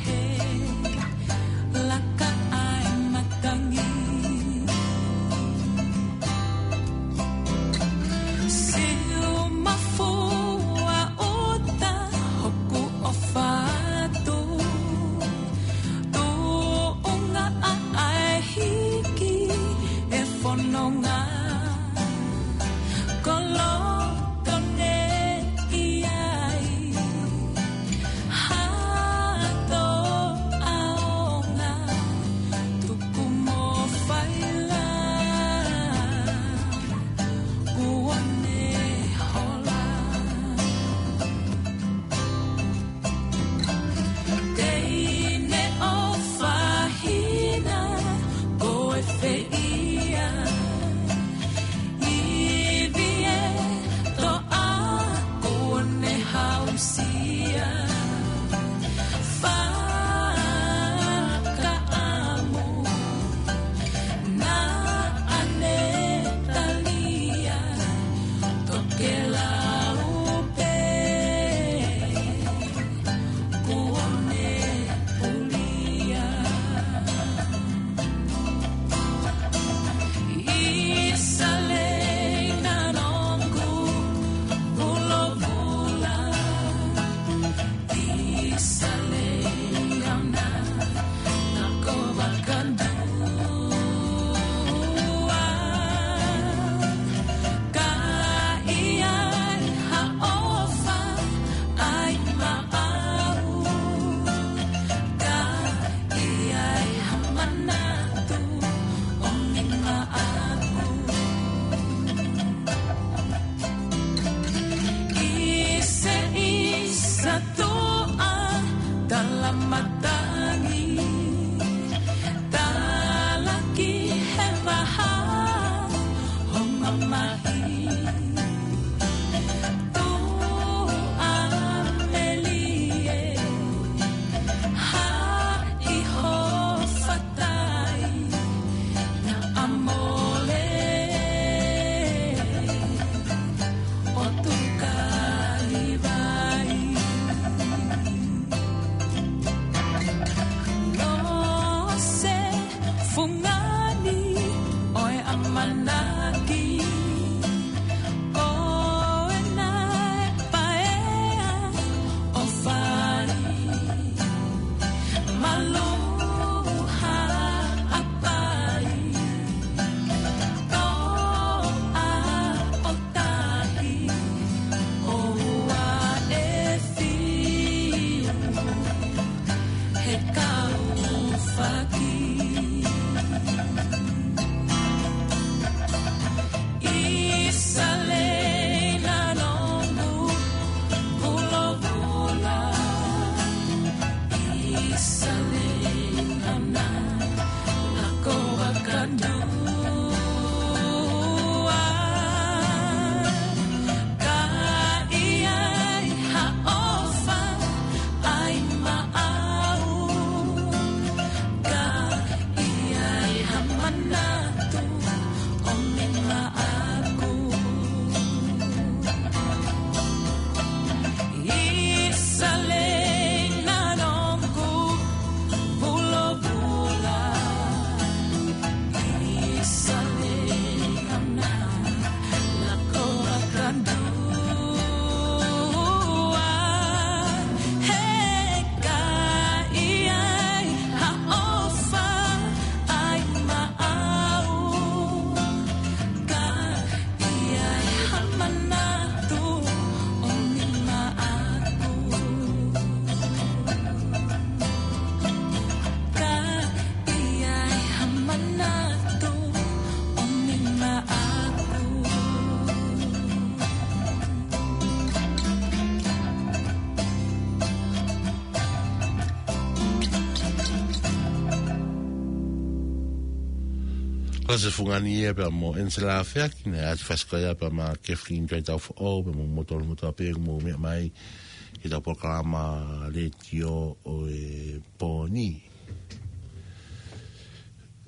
he laka ʻa e matangi. Siu mafua ʻuta hoku ʻofa atu. Tuʻunga ʻa e hiki e fononga. Koloto ne ʻi ai. Hato ʻaonga, tuku mo faila, kuo ne hola. Teine ʻofa hina, ko e fē ia. Ivi e toʻa kuo ne hausia. Fakaʻamu naʻa ne talia. Tokelau pē. Kuo ne pulia. ʻI Salei na nongu vulovula. ʻI Salei au na nako vakadua. Ka ʻi ai ha ʻofa ʻai maʻau. Ka ʻi ai ha manatu ʻomi maʻaku. ʻI se ʻisa tuʻa tala matangi. Talaki he vaha ho mamahi. Tuʻa melie, haʻi ho fatai, naʻa mole ʻo tuka i vai. Lose fungani ʻo e ʻamanaki. Ko e naʻe paea ʻo fai. Malu haʻapai. Toʻa ʻo tahi. ʻOua ʻe fiu. He kau faki. ʻI Ko se fungani ia pea mo Ensela Feaki, ne ati fasika ia pea ma Kathleen Tui Tau Foʻou, pea mo moutolu motoa pē mo mea mai ki tau polokalama letiō ʻo e pōni.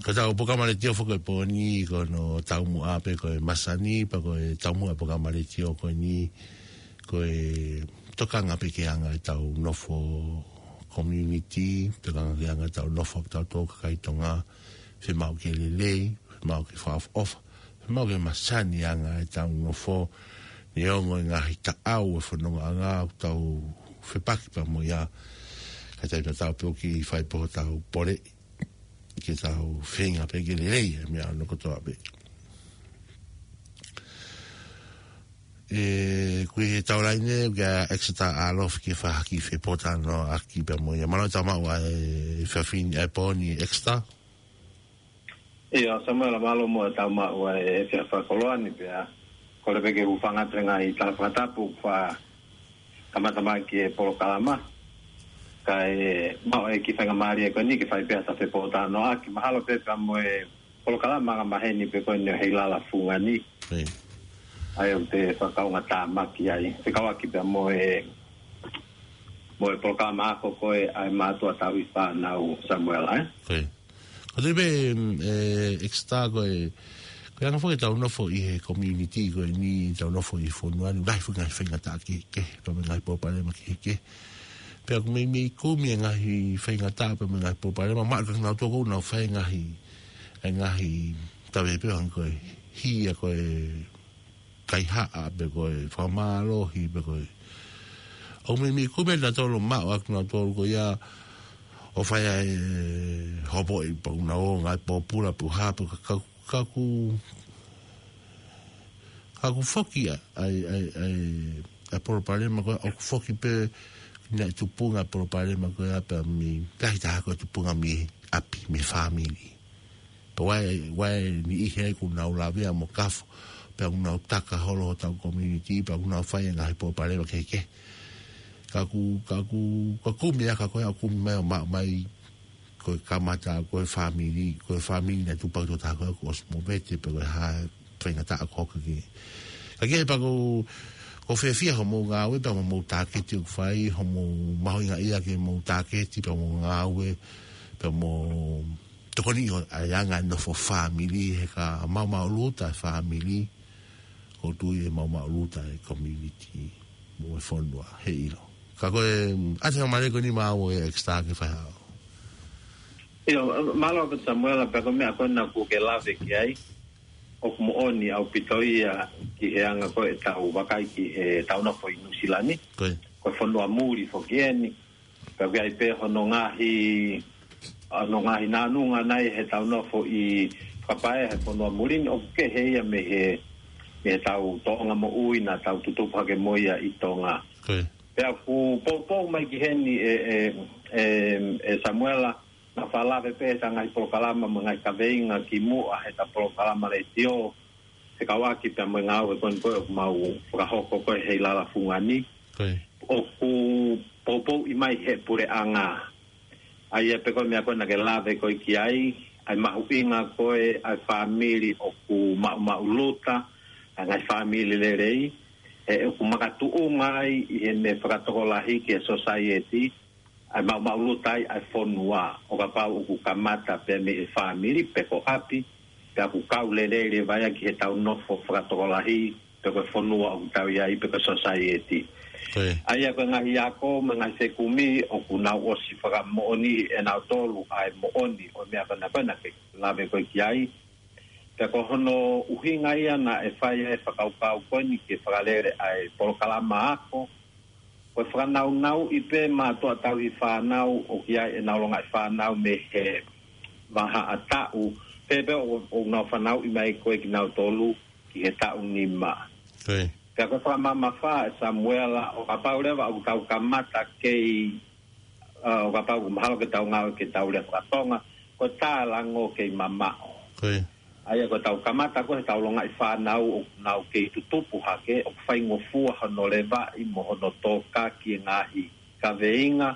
Ko tau polokalama letiō foki ʻo e pōni, ko hono taumuʻa pē ko e masani, pea ko e taumuʻa polokalama letiō ko eni, ko e tokanga pē ki he anga ʻetau nofo community, tokanga ki he anga ʻetau nofo ʻa kitautolu kakai Tonga, fiemaʻu ke lelei, fiemaʻu ke fakaʻofoʻofa, fiemaʻu ke masani anga ʻetau nofo, neongo e ngaahi taʻau ʻo e fonongaʻanga ʻoku tau fepaki pea mo ia, ka tau ʻi ai pē ʻoku fai pē hotau pole, ke tau feinga pē ke lelei, ʻa e meʻa ʻo e kotoa pē. ʻE, ko e taulaʻeiki ʻeni, ko Exeter Alofi ke fakahā ki he fepōtalanoaʻaki pea mo ia. Mālō e tau maʻu ʻa e efiafi ni ʻa e pōni Exeter. ʻIo, Samuela, mālō mo e tau maʻu ʻa e efiafi fakakoloa ni pea. Kole pē ke u hūfanga atu he ngaahi tala fakatapu kuo kamata mai ki he polokalama. Kae maʻu e kiʻi faingamālie ko eni ke fai pē ha fepōtalanoaʻaki. Mahalo pē pea mo e polokalama angamaheni pē ko eni ʻo Heilala Fungani. ʻIo. ʻA ia ʻoku te fakaʻuhingaʻi mai ki ai. Fekauʻaki pea mo e, mo e polokalama ako ko ē ʻa e mātuʻa tauhi fānau, Samuela, ē? ʻIo. Ko te pē, mm, ʻe, Exeter ko e, ko e anga foki ʻetau nofo ʻi he community ko eni, tau nofo ʻi he fonua ni, lahi foki e ngaahi faingataʻa kehekehe, pea mo e ngaahi pōpalema kehekehe. Pea ʻoku meimei kumi e ngaahi faingataʻa pea mo e ngaahi pōpalema, maʻa ka nau toko nau fai e ngaahi, e ngaahi tave pē hangē ko e hia ko e kaihaʻa pe ko e fakamālohi pe ko e. ʻOku meimei kumi ʻa kinautolu maʻu ʻa kinautolu ko ia ʻo fai ai e hopoʻi pea ʻoku nau ō ngaahi pōpula pe ko e hā pe ka, ka, ka ʻoku, ka ʻoku foki ʻa, ʻa, ʻa, ʻa, ʻa e pōpalema ko ē, ʻoku foki pē naʻe tupu ngaahi pōpalema ko ē pea mei, lahi taha ko e tupunga mei ʻapi, mei he fāmili. Pea ʻoku ʻi ai, ʻoku ʻi ai e niʻihi ʻoku nau lavea mo kafo, pea ʻoku nau taka holo hotau community, pea ʻoku nau fai e ngaahi pōpalema kehekehe. Ka ʻoku, ka ʻoku, ka ʻoku kumi ʻa e ka ko ē, ʻoku kumi mai ʻo maʻu mai, ko e kamata, ko e fāmili, ko e fāmili naʻe tupu ʻa e toko taha ko ē, ʻoku ʻosi movete, pe ko e hā e faingataʻa ko ē ki ai. Ka ʻoku ʻi ai pē ʻoku, ʻoku fiefia hoʻomou ngāue, pea mo hoʻomou tāketi ʻoku fai, hoʻomou mahuʻingaʻia ke mou tāketi, pea mo ngāue, pea mo tokoni ʻo e anga e nofo fāmili, he ka maʻumaʻuluta e fāmili, ʻoku ou tui ʻe maʻumaʻuluta e community mo e fonua, heiʻilo. Ka ko e, ʻa e faingamālie ko eni maʻau ʻe Exeter ke fai haʻo. ʻIo, mālō ʻaupito Samuela, pea ko e meʻa ko ena ʻoku ke lave ki ai, ʻoku moʻoni ʻaupito ia ki he anga ko ē ʻetau vakai ki heʻetau nofo ʻi Nuʻusila ni. Ko e. Ko e fonua muli foki eni. Pea ʻoku ʻi ai pē hono ngaahi, hono ngaahi nānunga naʻe ʻi heʻetau nofo ʻi fakapae he fonua muli ni ʻoku kehe ia mei he, mei heʻetau tōʻonga moʻui naʻa tau tutupu hake mo ia ʻi Tonga. Ko e. Pea ʻoku poupou mai ki heni ʻe, ʻe, ʻe, ʻe Samuela, naʻa fakalave pē ʻeta ngaahi polokalama mo e ngaahi kaveinga kimuʻa heʻeta polokalama letiō, fekauʻaki pea mo e ngāue ko eni ko ē ʻoku mau fakahoko ko ē Heilala Fungani. Ko e. ʻOku poupouʻi mai ʻe he puleʻanga. ʻA ia pē ko e meʻa ko ē naʻa ke lave ko ē ki ai, ʻa e mahuʻinga ko ē ʻa e fāmili ʻoku maʻumaʻuluta, ʻa e ngaahi fāmili lelei, ʻe ʻoku makatuʻunga ai ʻi he meʻa fakatokolahi ki he society, ʻa e maʻumaʻuluta ai ʻa e fonua, ʻo kapau ʻoku kamata pē mei he fāmili pe ko ʻapi, pea ʻoku kau lelei leva ia ki heʻetau nofo fakatokolahi, pe ko e fonua ʻoku tau ʻi ai, pe ko e society. Ko e. ʻA ia ko e ngaahi ako mo e ngaahi fekumi ʻoku nau ʻosi fakamoʻoniʻi ʻe nautolu ʻa e moʻoni ʻo e meʻa ko ena ko ē naʻa ke lave ko ē ki ai. Pea ko hono ʻuhinga ia naʻe fai ai e fakakaukau ko eni ke fakalele ʻa e polokalama ako. Ko e fakanaunauʻi pē mātuʻa tauhi fānau ʻoku ʻi ai ʻenau longaʻi fānau mei he vahaʻa taʻu. Pea pē ʻo, ʻoku nau fanauʻi mai ko ē kinautolu ki he taʻu nima. Ko e. Pea ko e fakamamafa ʻe Samuela ʻo kapau leva ʻoku tau kamata kei, ʻa, ʻo kapau ʻoku mahalo ke tau ngāue ke tau lea fakatonga, ko e tālango kei mamaʻo. Ko e. ʻA ia ko ʻetau kamata ko ē heʻetau longaʻi fānau ʻoku nau kei tutupu hake, ʻoku faingofua hono levaʻi mo hono tōkaki e ngaahi kaveinga,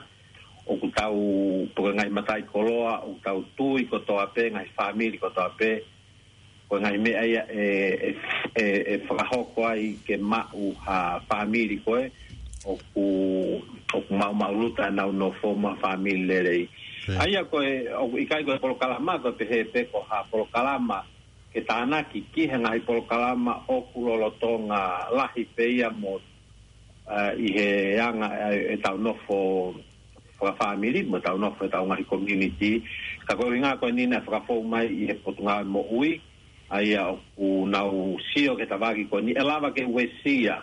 ʻoku tau, pe ko e ngaahi mataʻikoloa, ʻoku tau tui kotoa pē, ngaahi fāmili kotoa pē, ko e ngaahi meʻa ia ʻe, ʻe, ʻe, ʻe fakahoko ai ke maʻu ha fāmili ko ē ʻoku, ʻoku maʻumaʻuluta ʻenau nofo mo ha fāmili lelei. ʻA ia ko e, ʻoku ʻikai ko e polokalama ko e pehē pē ko ha polokalama ke tānaki ki he ngaahi polokalama ʻoku lolotonga lahi pē ia mo, ʻa, ʻi he anga, ʻa, ʻetau nofo fakafāmili, mo ʻetau nofo ʻetau ngaahi community. Ka ko e ʻuhinga ko eni naʻe fakafou mai ʻi he Potungāue Moʻui, ʻa ia ʻoku nau sio ki he tafaʻaki ko eni, ʻe lava ke uesia,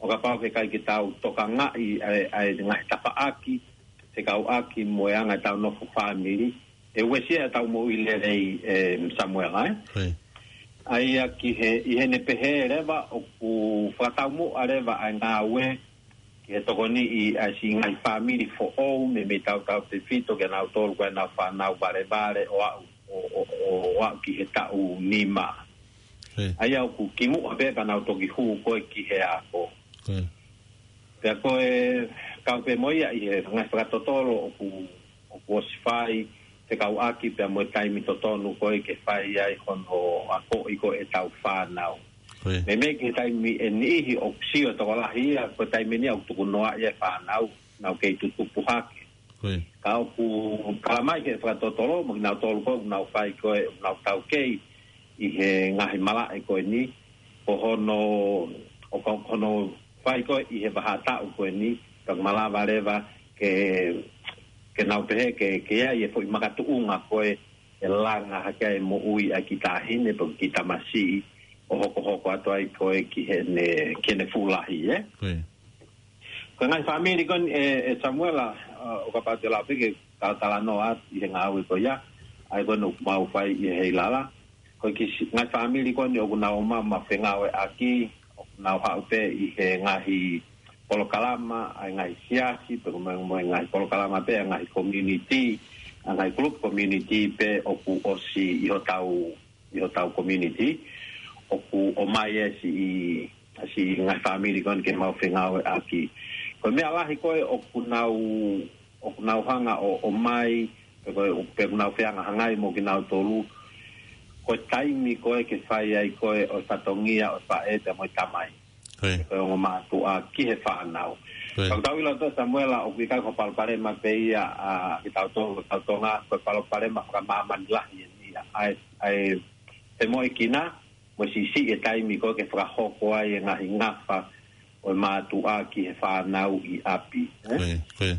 ʻo kapau he ʻikai ke tau tokangaʻi ʻa e, ʻa e ngaahi tafaʻaki, fekauʻaki mo e anga ʻetau nofo fāmili, ʻe uesia ʻetau moʻui lelei, ʻe Samuela, ē? ʻA ia ki he, ʻi heʻene pehē leva ʻoku fakataumuʻa leva ʻa e ngāue ki he tokoniʻi ʻa e siʻi ngaahi fāmili foʻou, meimei tautautefito kia nautolu ko ē ʻenau fānau valevale ʻo aʻu, ʻo, ʻo, ʻo, ʻo aʻu ki he taʻu nima. ʻA ia ʻoku kimuʻa pē pea nau toki hū ko ē ki he ako. Pea ko e kau pē mo ia ʻi he ngaahi fakatotolo ʻoku, ʻoku ʻosi fai, fekauʻaki pea mo e taimi totonu ko ē ke fai ai hono akoʻi ko ē ʻetau fānau. Meimei ki he taimi ʻe niʻihi ʻoku sio e tokolahi ia, ko e taimi eni ʻoku tukunoaʻi e fānau, nau kei tutupu hake. Ka ʻoku tala mai ki he fakatotolo, mo kinautolu ko ē ʻoku nau fai ko ē, ʻoku nau taukei ʻi he ngaahi malaʻe ko eni, ko hono, ʻo ka, hono fai ko ē ʻi he vahaʻa taʻu ko eni, ka malava leva ke, ke nau pehē ke, ke ʻi ai e foʻi makatuʻunga ko ē ʻe langa hake ai e moʻui ʻa e kiʻi taʻahine pe kiʻi tamasiʻi ʻo hokohoko atu ai ko ē ki heʻene, ki heʻene fuʻu lahi, ē? Ko e ngaahi fāmili ko eni ʻe, ʻe Samuela, ʻa, ʻo kapau te u lave pē ke talatalanoa atu ʻi he ngāue ko ia, ʻa ia ko eni ʻoku mau fai ʻi he Heilala. Ko e kiʻi si-, ngaahi fāmili ko eni ʻoku nau ō mai ʻo fengāueʻaki, ʻoku nau haʻu pē ʻi he ngaahi polokalama ʻa e ngaahi siasi, pe ko e mo e ngaahi polokalama pē ʻa e ngaahi community, ʻa e ngaahi group community pē ʻoku ʻosi ʻi hotau ʻi hotau community, ʻoku ʻomai e siʻi, siʻi ngaahi fāmili ko eni ke mau fengāueʻaki. Ko e meʻa lahi ko ē ʻoku nau, ʻoku nau hanga ʻo, ʻomai, pe ko e, pe ʻoku nau fehangahangai mo kinautolu, ko e taimi ko ē ke fai ai ko ē ʻo e fatongia ʻo e faʻē pea mo e tamai. Ko e ongo mātuʻa ki he fānau. Ka ʻoku tau ʻilo ʻe Samuela ʻoku ʻikai ko ha palopalema pē ia ʻa kitautolu, kitautolu ʻa, ko e palopalema fakamāmani lahi eni ia. ʻA e, ʻa e femoʻuekina, mo e siʻisiʻi e taimi ko ē ke fakahoko ai e ngaahi ngafa ʻo e mātuʻa ki he fānau ʻi ʻapi. Ē?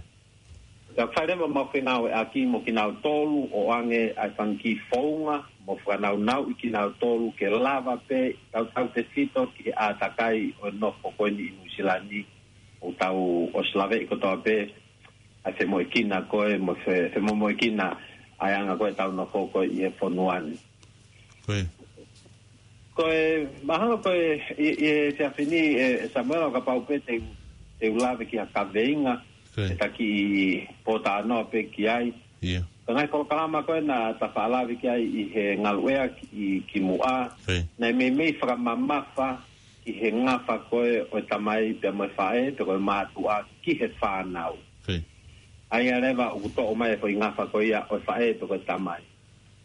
Ka fai leva ʻemau fengāueʻaki mo kinautolu ʻo ʻoange ʻa e fanga kiʻi founga mo fakanaunauʻi kinautolu ke lava pē tautautefito ki he ʻātakai ʻo e nofo ko eni ʻi Nuʻusila ni ʻoku tau ʻosi laveʻi kotoa pē ʻa e femoʻuekina ko ē mo fe-, femomoʻuekina ʻa e anga ko ē ʻetau nofo ko ē ʻi he fonua ni. Ko e mahalo ko e ʻi, ʻi he efiafi ni ʻe, ʻe Samuela ʻo kapau pē te u, te u lave ki ha kaveinga, ʻe taki pōtalanoa pē ki ai. Ko e ngaahi polokalama ko ē naʻa ta faʻa lave ki ai ʻi he ngaluʻea ki, kimuʻa, naʻe meimei fakamamafa ki he ngafa ko ē ʻo e tamai pea mo e faʻē, pe ko e mātuʻa ki he fānau. ʻA ia leva ʻoku toʻo mai e foʻi ngafa ko ia ʻo e faʻē pe ko e tamai.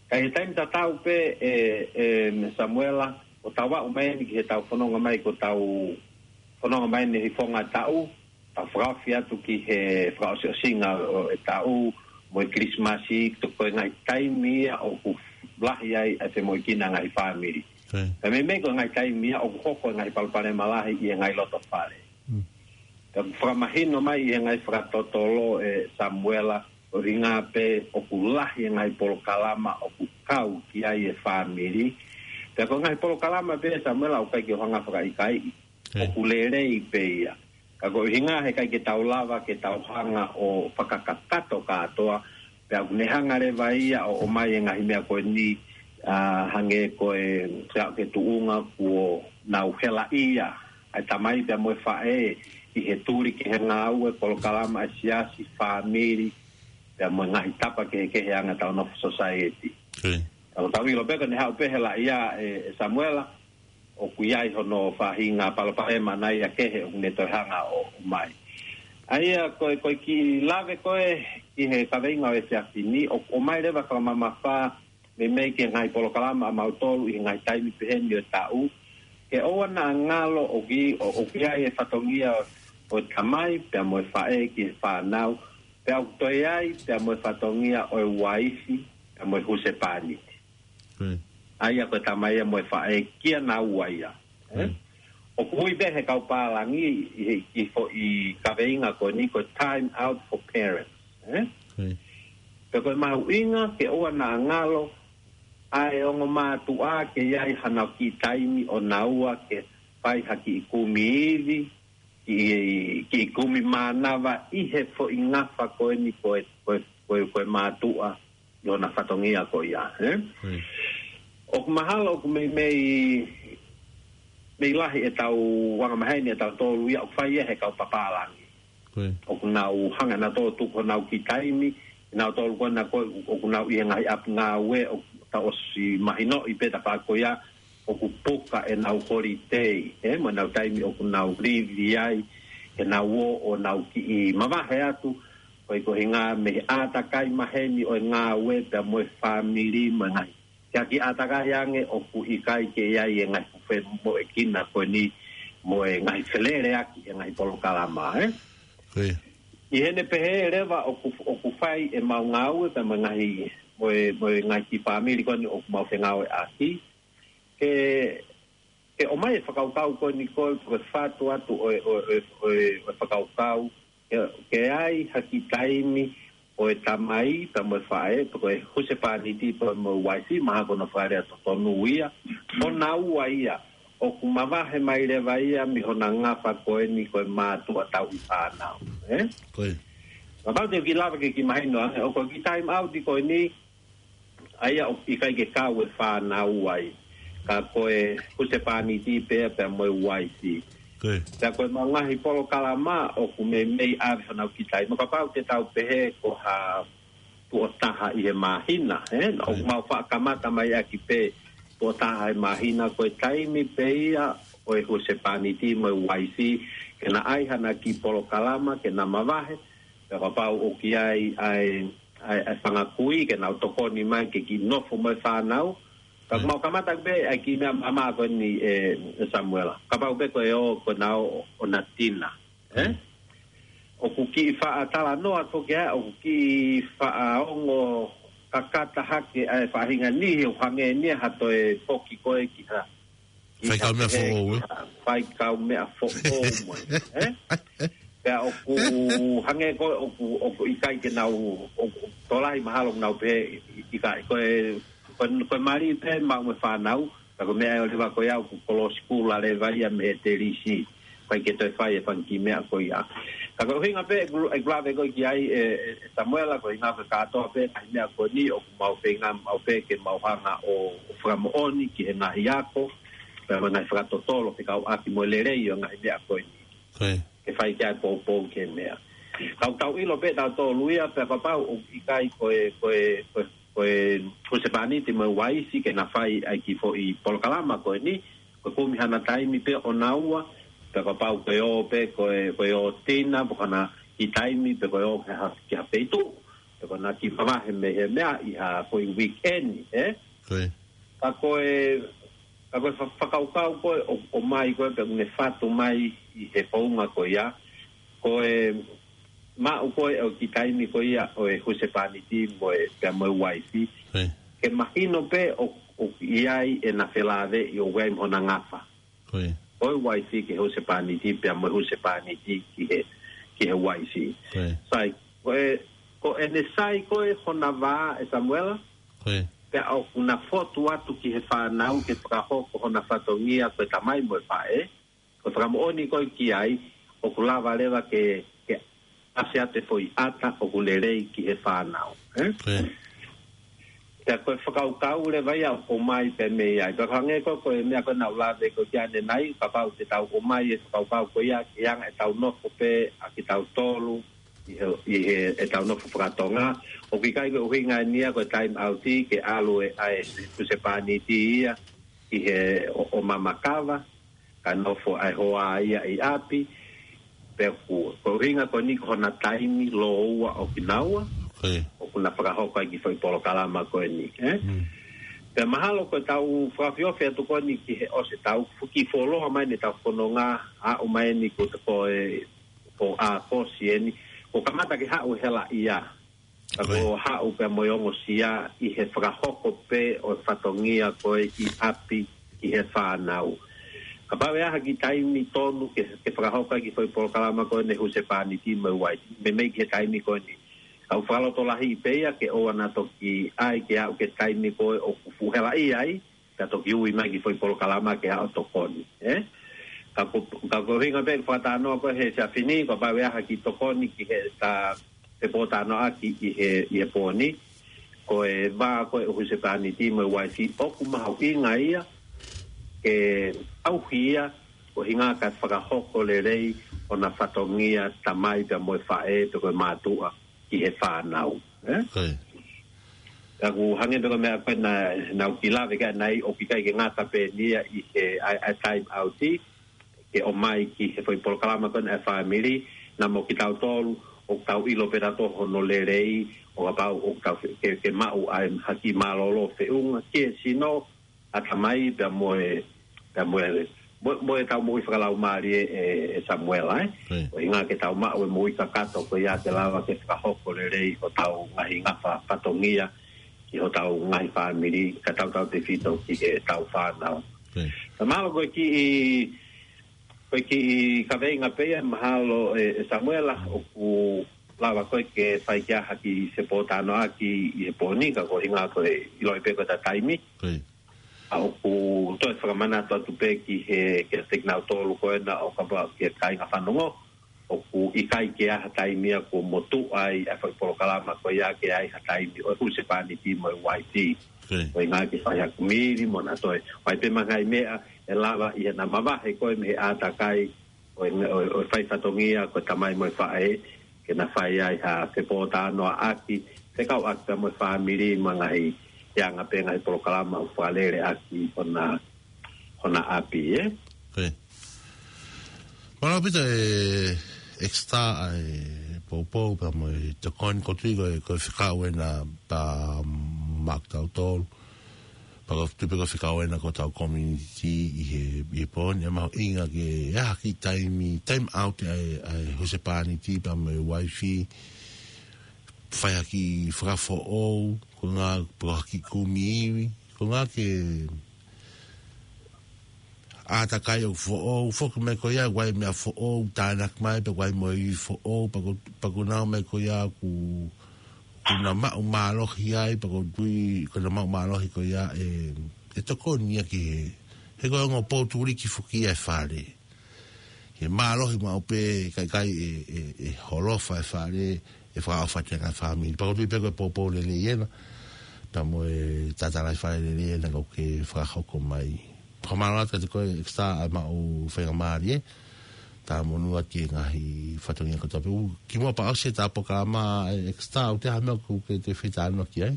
Ka ʻi he taimi tatau pē ʻe, ʻe Samuela, ʻo tau aʻu mai eni ki heʻetau fononga mai ko ʻetau fononga mai eni he fononga taʻu, tau fakaofi atu ki he fakaʻosiʻosinga ʻo e taʻu, mo e Kilisimasi, ko e ngaahi taimi ia ʻoku lahi ai ʻa e femoʻuekina ngaahi fāmili. Ka meimei ko e ngaahi taimi ia ʻoku hoko e ngaahi palopalema lahi ʻi he ngaahi loto fale. Ka ʻoku fakamahino mai ʻi he ngaahi fakatotolo ʻe Samuela, ʻo ʻuhinga pē ʻoku lahi e ngaahi polokalama ʻoku kau ki ai e fāmili. Pea ko e ngaahi polokalama pē ʻe Samuela ʻoku ʻikai ke u hanga fakaʻikaiʻi. ʻOku lelei pē ia. Ka ko e ʻuhinga he ʻikai ke tau lava ke tau hanga ʻo fakakakato kātoa. Pea ʻoku ne hanga leva ia ʻo, ʻomai e ngaahi meʻa ko eni, ʻa, hangē ko e, ke aʻu ki he tuʻunga kuo nau helaʻia ʻa e tamai pea mo e faʻē ʻi he tuli ki he ngāue, polokalama ʻa e siasi, fāmili, pea mo e ngaahi tapa kehekehe anga ʻetau nofo society. Ka ʻoku tau ʻilo pē ko ʻene haʻu pē helaʻia ʻe, ʻe Samuela, ʻoku ʻi ai hono faʻahinga palopalema naʻa ia kehe ʻoku ne toe hanga ʻo, ʻomai. ʻA ia ko e, ko e kiʻi lave ko ē ʻi he kaveinga ʻo e efiafi ni, ʻoku ʻomai leva fakamamafa meimei ki he ngaahi polokalama ʻamautolu ʻi he ngaahi taimi pehē ni ʻo e taʻu, ke ʻoua naʻa ngalo ʻoku, ʻo, ʻoku ʻi ai e fatongia ʻo e tamai pea mo e faʻē ki he fānau, pea ʻoku toe ʻi ai pea mo e fatongia ʻo e uaifi pea mo e husepāniti. Ko ia. ʻA ia ko e tamai ia mo e faʻē kia naua ia. Eh? Mm. ʻOku ui pē he kau pālangi ʻi he, ʻi he foʻi kaveinga ko eni ko e time out for parents. Eh? Ko ia. Pea ko e mahuʻinga ke ʻoua naʻa ngalo ʻa e ongo mātuʻa ke ʻi ai hanau kiʻi taimi ʻo naua ke fai ha kiʻi kumi ivi, kiʻi, kiʻi kumi mānava ʻi he foʻi ngafa ko eni ko e, ko e, ko e, ko e mātuʻa ʻi hona fatongia ko ia, eh? Ko ia. ʻOku mahalo ʻoku meimei, mei lahi ʻetau angamaheni ʻetautolu ia ʻoku fai ia he kau pālangi. Ko ia. ʻOku nau hanga nautolu ʻo tuku honau kiʻi taimi, nautolu ko ena ko ē ʻoku nau ʻi he ngaahi ʻapi ngāue, ʻoku tau ʻosi mahinoʻi pē tafa ko ia, ʻoku puka ʻenau holiday, eh, mo ʻenau taimi ʻoku nau livi ai, ke nau ō ʻo nau kiʻi mavahe atu, ko e koeʻuhinga mei he ʻātakai maheni ʻo e ngāue pea mo e fāmili mo e ngaahi. Ke ʻaki ʻātakai ange ʻoku ʻikai ke ʻi ai e ngaahi fuʻumoʻuekina ko eni mo e ngaahi feleleʻaki e ngaahi polokalama, eh? Ko ia. ʻI heʻene pehē leva ʻoku, ʻoku fai ʻemau ngāue pea mo e ngaahi, mo e, mo e ngaahi kiʻi fāmili ko eni ʻoku mau fengāueʻaki. Ke, ke ʻomai e fakakaukau ko eni ko e, ko e fatu atu ʻo e, ʻo e, ʻo e, ʻo e, ʻo e fakakaukau. Ke, ke ʻi ai ha kiʻi taimi ʻo e tamai, pea mo e faʻē, pe ko e husepāniti, pea mo e uaifi, mahalo ko hono fakalea totonu ia. ʻO naua ia, ʻoku mavahe mai leva ia mei hona ngafa ko eni ko e mātuʻa tauʻi fānau. Eh? Ko ia. Kapau te u kiʻi lava ke kiʻi mahino ange, ʻoku kiʻi time out ko eni, ʻa ia ʻoku ʻikai ke kau e fānau ai. Ka ko e husepāniti pē pea mo e uaifi. Ko ia. Pea ko ʻemau ngaahi polokalama ʻoku meimei ʻave honau kiʻi taimi. Kapau te tau pehē ko ha tuʻo taha ʻi he māhina, eh? ʻOku mau faʻa kamata mai ʻaki pē tuʻo taha he māhina, ko e taimi pē ia ʻo e husepāniti mo e uaifi, ke na ʻai hana kiʻi polokalama, ke na mavahe, pea kapau ʻoku ʻi ai ʻa e, ʻa e, ʻa e fanga kui, ke nau tokoni mai, ke kiʻi nofo mo e fānau. Ka ʻoku mau kamata pē ʻa e kiʻi meʻa maʻamaʻa ko eni, eh, Samuela. Kapau pē ko e ō, ko ʻena ō ʻo na tina. Eh? ʻOku kiʻi faʻa talanoa atu ki ai, ʻoku kiʻi faʻa ongo kakata hake ʻa e faʻahinga niʻihi ʻoku hangē ni ia ha toe foki ko ē ki ha. Ki Fai kau meʻa pehē, foʻou, ki eh? Ha, fai kau meʻa foʻou mo e, eh? Pea ʻoku hangē ko ē, ʻoku, ʻoku ʻikai ke nau, ʻoku, ʻoku tokolahi mahalo ʻoku nau pehē, ʻikai, ko e, ko e, ko e mali pē maʻu mo e fānau, ka ko e meʻa ʻe ʻoua leva ko ia ʻoku kolosi kula leva ia mei he telisi. ʻIkai ke toe fai e fanga kiʻi meʻa ko ia. Ka ko e ʻuhinga pē ʻeku, ʻeku lave ko ē ki ai, e, e, e Samuela, ko e ʻuhinga ko e kātoa pē ngaahi meʻa ko eni ʻoku mau feinga maʻu pē ke mau hanga ʻo, ʻo fakamoʻoni ki he ngaahi ako, pea mo e ngaahi fakatotolo fekauʻaki mo e lelei ʻo e ngaahi meʻa ko eni. Ko ia. Ke fai ki ai poupou ki he meʻa. Ka ʻoku tau ʻilo pē tautolu ia, pea kapau ʻoku ʻikai ko e, ko e, ko e, ko e husepāniti mo e uaifi ke na fai ʻa e kiʻi foʻi polokalama ko eni, ko e kumi hana taimi pē ʻo naua, pea kapau ko e ō pē, ko e, ko e ō tina, pe ko hana kiʻi taimi, pe ko e ō ki ha, ki ha feituʻu, pe ko hana kiʻi mavahe mei he meʻa ʻi ha foʻi weekend, eh? Ko ia. Ka ko e, ka ko e fa-, fakakaukau ko ē ʻo, ʻomai ko ē pea ʻoku ne fatu mai ʻi he founga ko ia, ko e maʻu ko ē ʻo e kiʻi taimi ko ia ʻo e husepāniti mo e, pea mo e uaifi. Ko ia. Ke mahino pē ʻo, ʻoku ʻi ai ʻena felāveʻi ʻoku ʻi ai mo hona ngafa. Ko ia. Ko e uaifi ki he husepāniti, pea mo e husepāniti ki he, ki he uaifi. Ko ia. Sai, ko e, ko ʻene sai ko ē hona vā ē Samuela, Ko ia. pea ʻoku na fotu atu ki he fānau ke fakahoko hona fatongia ko e tamai mo e faʻē, ko e fakamoʻoni ko ē ki ai, ʻoku lava leva ke, ke ʻasi atu e foʻi ʻata ʻoku lelei ki he fānau, eh? Ko ia. Pea ko e fakakaukau leva ia ʻoku ʻomai pē mei ai. Pea hangē ko ē, ko e meʻa ko ē naʻa ku lave ko ē ki ai ʻanenai, kapau te tau ʻomai e fakakaukau ko ia, ki he anga ʻetau nofo pē ʻa kitautolu, ʻi he, ʻi he, ʻetau nofo fakatonga. ʻOku ʻikai ko e ʻuhinga eni ia ko e time out ke ʻalu e, ʻa e husepāniti ia, ki he ʻo, ʻo mamakava, ka nofo ʻa e hoa ia ʻi ʻapi, pea ko, ko e ʻuhinga ko eni ko hona taimi lōua ʻo kinaua, Ko ia. ʻoku na fakahoko ai e kiʻi foʻi polokalama ko eni, eh? Mm. Pea mahalo ko e tau fakaofiofi atu ko eni ki he ʻosi ʻetau fuki fuoloa mai ʻetau fononga, aʻu mai eni ko te ko e, ko ʻAokosi eni, kuo kamata ke haʻu e helaʻia. Ka Ko ia. kuo haʻu pea mo e ongosia ʻi he fakahoko pē ʻo e fatongia ko ē ʻi ʻapi ki he fānau. Kapau ʻe ʻi ai ha kiʻi taimi tonu ke, ke fakahoko ai e kiʻi foʻi polokalama ko eni husepāniti mo e uaifi. Meimei ki he taimi ko eni. Ka ʻoku fakalotolahiʻi pē ia ke ʻoua naʻa toki ʻai ke aʻu ki he taimi ko ē ʻoku fuʻu helaʻia ai, ka toki ui mai e kiʻi foʻi polokalama ke aʻu ʻo tokoni, ē? Ka ko, ka ko e ʻuhinga pē fakatalanoa ko ē he efiafi ni, kapau ʻe ʻi ai ha kiʻi tokoni ki he ta fepōtalanoaʻaki ʻi he, ʻi he pō ni, ko e vā ko ē ʻo e husepāniti mo e uaifi ʻoku mahuʻinga ia ke ʻauhi ia, ko e ʻuhinga ke fakahoko lelei ʻona fatongia tamai pea mo e faʻē pe ko e mātuʻa ki he fānau, ē? Ko ia. Ka ʻoku hangē pē ko e meʻa ko ē naʻa, naʻa ku kiʻi lave ki ai ʻanenai ʻoku ʻikai ke ngata pē eni ia ʻi he ʻai, ʻai time out, ke ʻomai ki he foʻi polokalama ko eni ʻa e fāmili, naʻa mo kitautolu, ʻoku tau ʻilo pē ʻe tautolu hono lelei, ʻo kapau ʻoku tau ke, ke maʻu ai ha kiʻi mālōlō feʻunga, ki he sino, ʻatamai pea mo e, pea mo e, mo, mo e tau moʻui fakalaumālie ē, ē, ē Samuela, ē? Ko ia. Ko e ʻuhinga ke tau maʻu e moʻui kakato ko ia ke lava ke fakahoko lelei hotau ngaahi ngafa fatongia ki hotau ngaahi fāmili, ka tautautefito ki heʻetau fānau. Ko ia. Ka mahalo ko e kiʻi, ko e kiʻi kaveinga pē ia mahalo ē, ē Samuela, ʻoku lava ko ē ke fai ki ai ha kiʻi fepōtalanoaʻaki ʻi he pō ni, ka ko e ʻuhinga ko e ʻiloʻi pē ko ʻeta taimi. Ko ia. ʻA ʻoku toe fakamanatu atu pē ki he, ki he kinautolu ko ena ʻo kapau ki he kāinga fanongo, ʻoku ʻikai ke ʻi ai ha taimi ia kuo motuʻa ai ʻa e foʻi polokalama ko ia ke ʻi ai ha taimi ʻo e husepāniti mo e uaifi. Ko ia. Ko e ʻuhinga ke fai ha kumili mo na toe. ʻOku ʻi ai pē mo e ngaahi meʻa ʻe lava ʻi heʻena mavahe ko ē mei he ʻātakai ʻo e, ʻo e, ʻo e fai fatongia ko e tamai mo e faʻē, ke na fai ai ha fepōtalanoaʻaki, fekauʻaki pea mo e fāmili mo e ngaahi, ʻi he anga pē ngaahi polokalama ʻoku fakalele ʻaki hona, hona ʻapi, ē? Ko ia. Mālō ʻaupito ē Exeter ʻa e poupou pea mo e tokoni, ʻoku ou tui ko e, ko e fekau ena pea maʻa kitautolu. Pea ʻoku ou tui pē ko e fekau ena ki hotau community ʻi he, ʻi he pō ni, ʻe mahuʻinga ke ʻi ai ha kiʻi taimi, time out ʻa e, ʻa e husepāniti pea mo e uaifi, fai ha kiʻi fakafoʻou, ko e ʻuhinga pē ha kiʻi kumi ivi, ko e ʻuhinga ke ʻātakai ʻo foʻou, foki mai ko ia, ʻoku ʻi ai e meʻa foʻou, tānaki mai, pea ʻoku ʻi ai mo e ivi foʻou, pea ʻoku, pea ʻoku nau ō mai ko ia ʻoku, ʻoku nau maʻu mālohi ai, pea ʻoku ou tui, ʻoku nau maʻu mālohi ko ia ʻe, ʻe tokoni ia ki he, he ko e ongo poutuliki foki ia ʻo e fale. He mālohi maʻu pē, ʻikai, ʻikai ʻe, ʻe, ʻe holofa e fale, ʻe fakaʻofa atu e ngaahi fāmili. Pea ʻoku ou tui pē ko e poupou lelei ena, pea mo e tatalaifale lelei ena ʻoku ke fakahoko mai. Fakamālō atu kiate koe Exeter ʻa e maʻu faingamālie, talamonū atu ki he ngaahi fatongia kotoa pē. ʻOku kimuʻa pea ʻosi ʻeta polokalama ē Exeter, ʻoku ʻi ai ha meʻa ʻoku ke toe fie talanoa ki ai?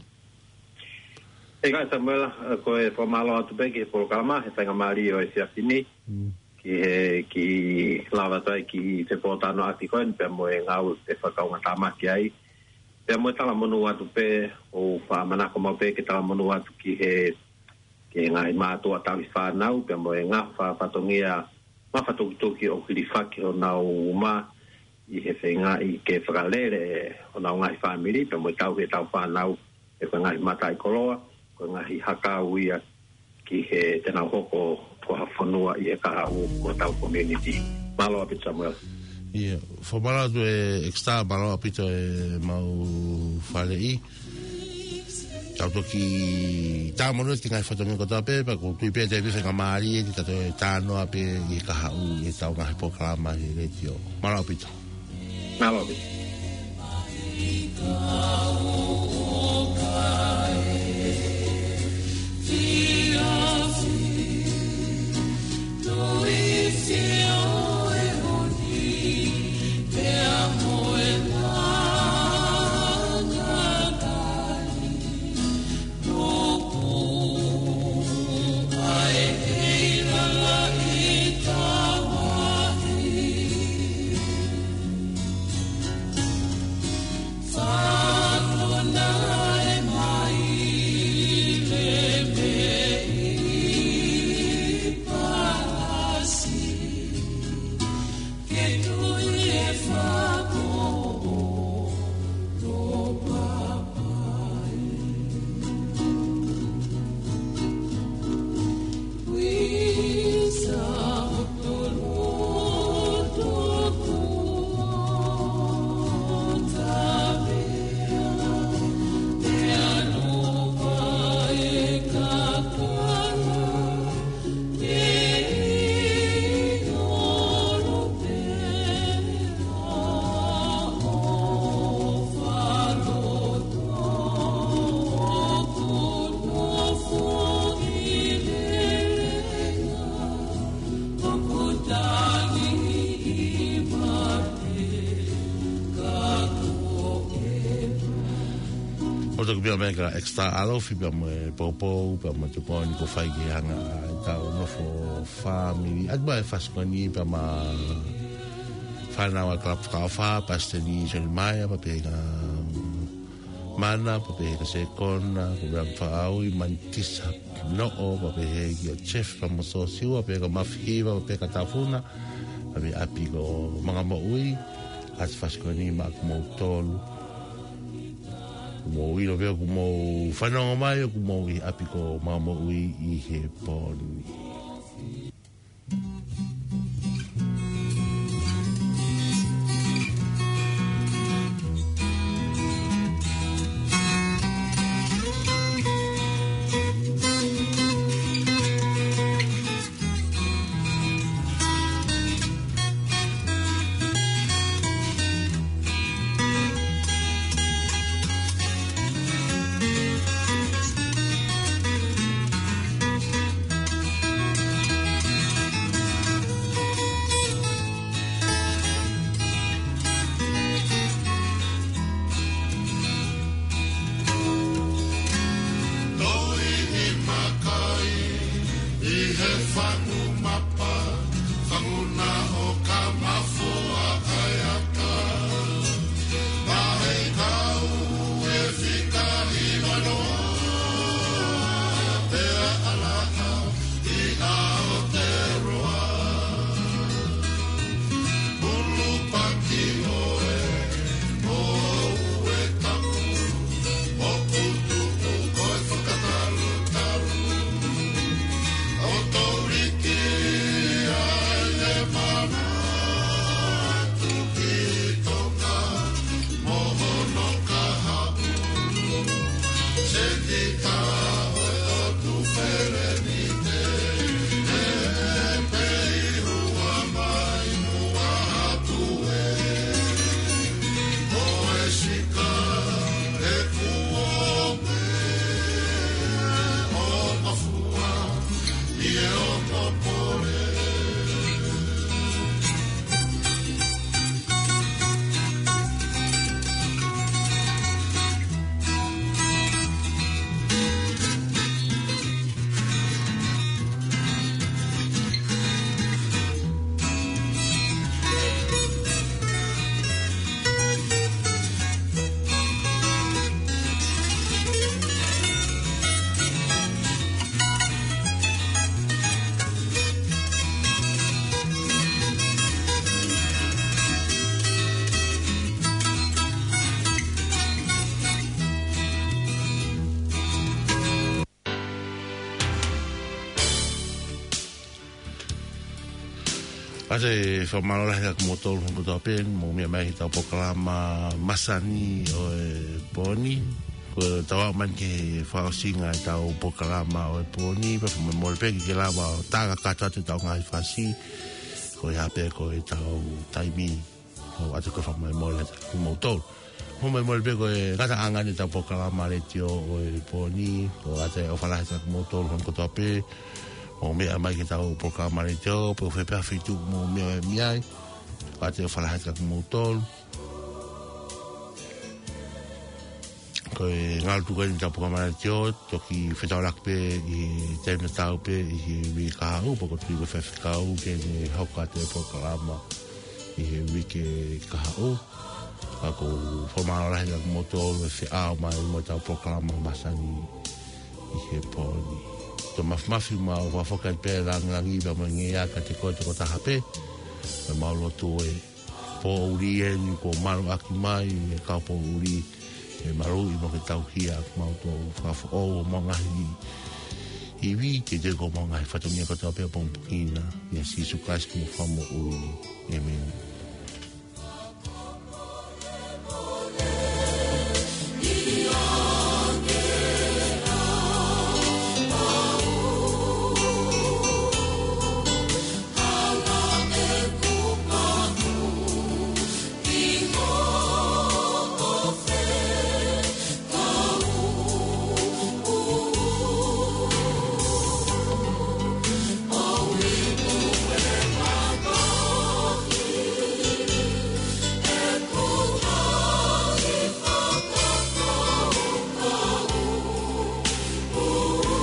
ʻIkai Samuela, ē, ko e fakamālō atu pē ki he polokalama, he faingamālie ʻo e efiafi ni. Mm. Ki he, kiʻi lava atu ai e kiʻi fepōtalanoaʻaki ko eni pea mo e ngāue ʻoku ke fakakaungātāmaki ai. Pea mo e talamonū atu pē, ʻoku ou fakamanako maʻu pē ke talamonū atu ki he, ki he ngaahi mātuʻa tauhi fānau, pea mo e ngafa fatongia mafatukituki ʻoku hilifaki honau uma ʻi he feingaʻi ke fakalele honau ngaahi fāmili, pea mo e tauhi ʻetau fānau, ʻe ko e ngaahi mataʻikoloa, ko e ngaahi hakau ia ki he te nau hoko ko ha fonua ʻi he kahaʻu ʻo hotau community. Mālō ʻaupito Samuela. ʻIo, fakamālō atu ē Exeter, mālō ʻaupito e maʻu faleʻi. Tau toki talamonū atu ki he ngaahi fatongia kotoa pē, pea ʻoku ou tui pē te u fie faingamālie ʻi heʻeta toe talanoa pē ʻi he kahaʻu ʻi heʻetau ngaahi polokalama he letiō. Mālō ʻaupito. Mālō ʻaupito. Pea mo e ka Extra Alofi, pea mo e poupou, pea mo e tokoni kuo fai ki he anga ʻetau nofo fāmili. ʻAtu pē ʻa e fasi ko eni pea mo e fānau ʻa e kalapu fakaʻofa, Pasiteni Soni Maia, pea pehē kia Mana, pea pehē kia Sekona, ko Veapaʻaui, Manitisa Noʻo, pea pehē kia Jeff, pea mo Sosiua, pea pehē kia Mafihiva, pea pehē kia Tafuna, pea pehē ʻapi ko Mangamoʻui, ʻa e fasi ko eni maʻa kimoutolu. Kuo mou ʻilo pē ʻoku mou fanongo mai ʻoku mou ʻi ʻapi ko Mangamoʻui ʻi he pō ni. Toi ni makai ʻi he fangu mapa, fangu na ʻo ka mafua ʻa e aka. Mahei kau e fika i vano, pea ʻalaha ʻi Aotearoa. Ulupaki ʻoe, ʻo ue tapu, ʻo putu ʻu koe fakatalutalu. ʻO toliki ai e mana tuki Tonga, mo hono kahaʻu. Seti ka ʻo e ʻOtu Felenite, ʻe pehē ʻi hua mai mua atu ē. Ko e sika ʻe kuo pē ʻo mafua ʻi he ongo pole. ʻOatu e fakamālō lahi kia kimoutolu hono kotoa pē, mou meʻa mai ki heʻetau polokalama masani ʻo e pō ni. Kuo tau aʻu mai ki he fakaʻosinga ʻetau polokalama ʻo e pō ni, pea fakamolemole pē ʻikai ke lava ʻo tānaki kātoa atu ʻetau ngaahi fasi, ko ia pē ko ʻetau taimi. ʻOatu ko e fakamolemole kia kimoutolu. Fakamolemole pē ko e ngataʻanga eni ʻetau polokalama letiō ʻo e pō ni, ʻoatu e ʻofa lahi kia kimoutolu hono kotoa pē, mou meʻa mai ki heʻetau polokalama letiō, pe ko fē pē ha feituʻu mou meʻa mai ai, ʻoatu e ʻofa lahi kia kimoutolu. Ko e ngalo tuku eni ʻetau polokalama letiō, toki fetaulaki pē ʻi he taimi tatau pē ʻi he uike kahaʻu, pea ʻoku ou tui ko e faifekau ke ne hoko atu e polokalama ʻi he uike kahaʻu. Ka ʻoku ou fakamālō lahi kia kimoutolu e feʻao mai mo ʻetau polokalama masani ʻi he pō ni. Tō mafimafi mo fakafoki pē e langilangi pea mo e ngeia kiate koe tokotaha pē. Pea mau lotu e pōʻuli eni kuo maluʻaki mai, e kau pōʻuli, ʻe maluʻi mo ke tauhi ʻa kimautolu, fakafoʻou homau ngaahi ivi, ke teu ko homau ngaahi fatongia kotoa pē ʻapongipongi na. ʻIa Sīsū Kalaisi ko homau Fakamoʻui. ʻĒmeni.